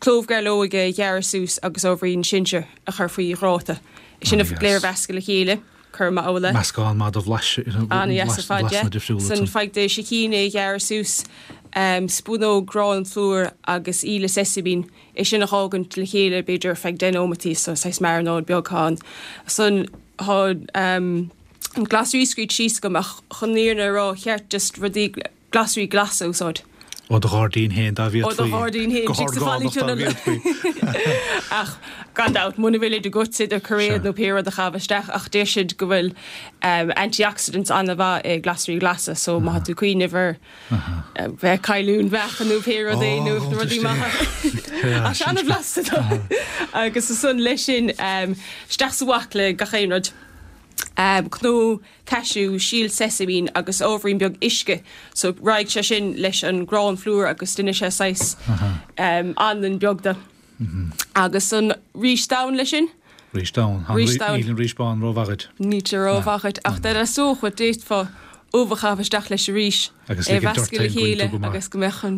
H: clóbh gairleoige a ghearradh suas agus ábhairín sinsear a chur faoi ghráta. Sin go léir a mheascadh le chéile, cur amach amhlaidh.
A: Meascán maith de bhlais,
H: An-dheas ar fad, yeah.
A: difriúla
H: San faigh do sicín é a ghearradh suas, spúnóg grán plúir agus íle sesaimín, é sin a dh'fhágaint le chéile b'fhéidir ar feadh deich nóimeataí, so saghas marinade beag thá ann. San thá an glasraí scríte síos agam ach chun an fhírinne a rá cheart just rudaí glasraí glasa a úsáid.
A: Ó do ghairdín féin dá
H: bhféadfaí. Ó do ghairdín féin,
A: Go horgánach dá bhféadfaí.
H: Ach gan dabht, muna bhfuil iad agat, idir cairéad nó pé rud a chaitheamh isteach ach deir siad go bhfuil antioxidants an-mhaith i glasraí glasa so má tá tú ag cuimhneamh ar bheith ag cailliúint meáchan nó pé rud é nó rudaí maithe. Ach sé an-bhlasta dó. Agus ansan leis sin isteach sa bhaicle gach aon rud. Cnó cashew, síol sesaimín agus ábhairín beag uisce. So raghaidh sé sin leis an grán phlúr agus déanfaidh sé saghas anlann beag de. Agus an rís donn leis sin.
A: Rís donn.
H: Rís donn.
A: Níl an rís bán rómhaith
H: dhuit. Níl sé rómhaith dhuit ach dá dteastódh uait d'fhéadfá ubh a chaitheamh isteach leis arís.
A: Agus é a
H: mheascadh le chéile agus go mbeadh an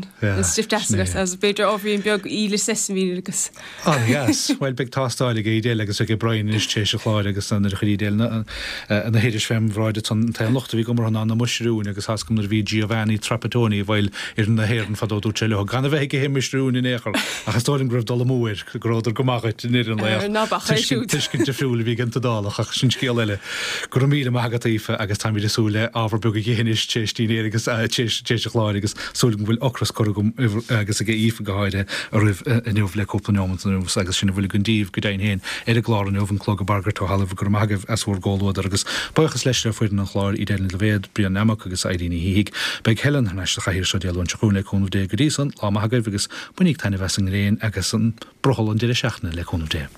H: stuif deas agat agus b'fhéidir ábhairín beag íle sesaimín agus.
A: An-dheas. Bhuel, beidh tástáil ag Edel agus ag Brian anois tar éis an chláir agus nuair a chuir Edel na hoidis fém bhráid ansan, an t-aon locht a bhí agam orthu ná na muisiriúin agus tá's agam nuair a bhí Giovanni Trapattoni i bhfeighil fhoireann na hÉireann fadó dúirt sé leo gan a bheith ag ithe muisiriúin in aon chor ach is dóigh liom go raibh dul amú air go rabhadar go maith dhuit i ndeireadh an lae
H: ach
A: tuiscint difriúil a bhí ag an tIodálach ach sin scéal eile. Go raibh míle maith agat Aoife agus táimid ag súil le ábhar beag a dh'ithe anois tar éis dinnéir agus tar éis an chláir agus súil agam go bhfuil ocras curtha agam agus ag Aoife go háirithe oraibh inniu le cúpla neomant anuas agus sin a bhfuil againn daoibh go deimhin féin ar an gclár inniu, An Clog ag Bagairt ó Thalamh. Go raibh maith agaibh as bhur gcomhluadar agus buíochas leis le foireann an chláir, Edel Ní Loibhéad, Brian Nammock agus Eileen Ní Shíthigh. Beidh Helen thar n-ais sa chathaoir seo Dé Luain seo chugainn le cúnamh Dé. Go dtí san, lá maith agaibh agus bainíg taitneamh as an ngréin agus an brothall an deireadh seachtaine le cúnamh Dé.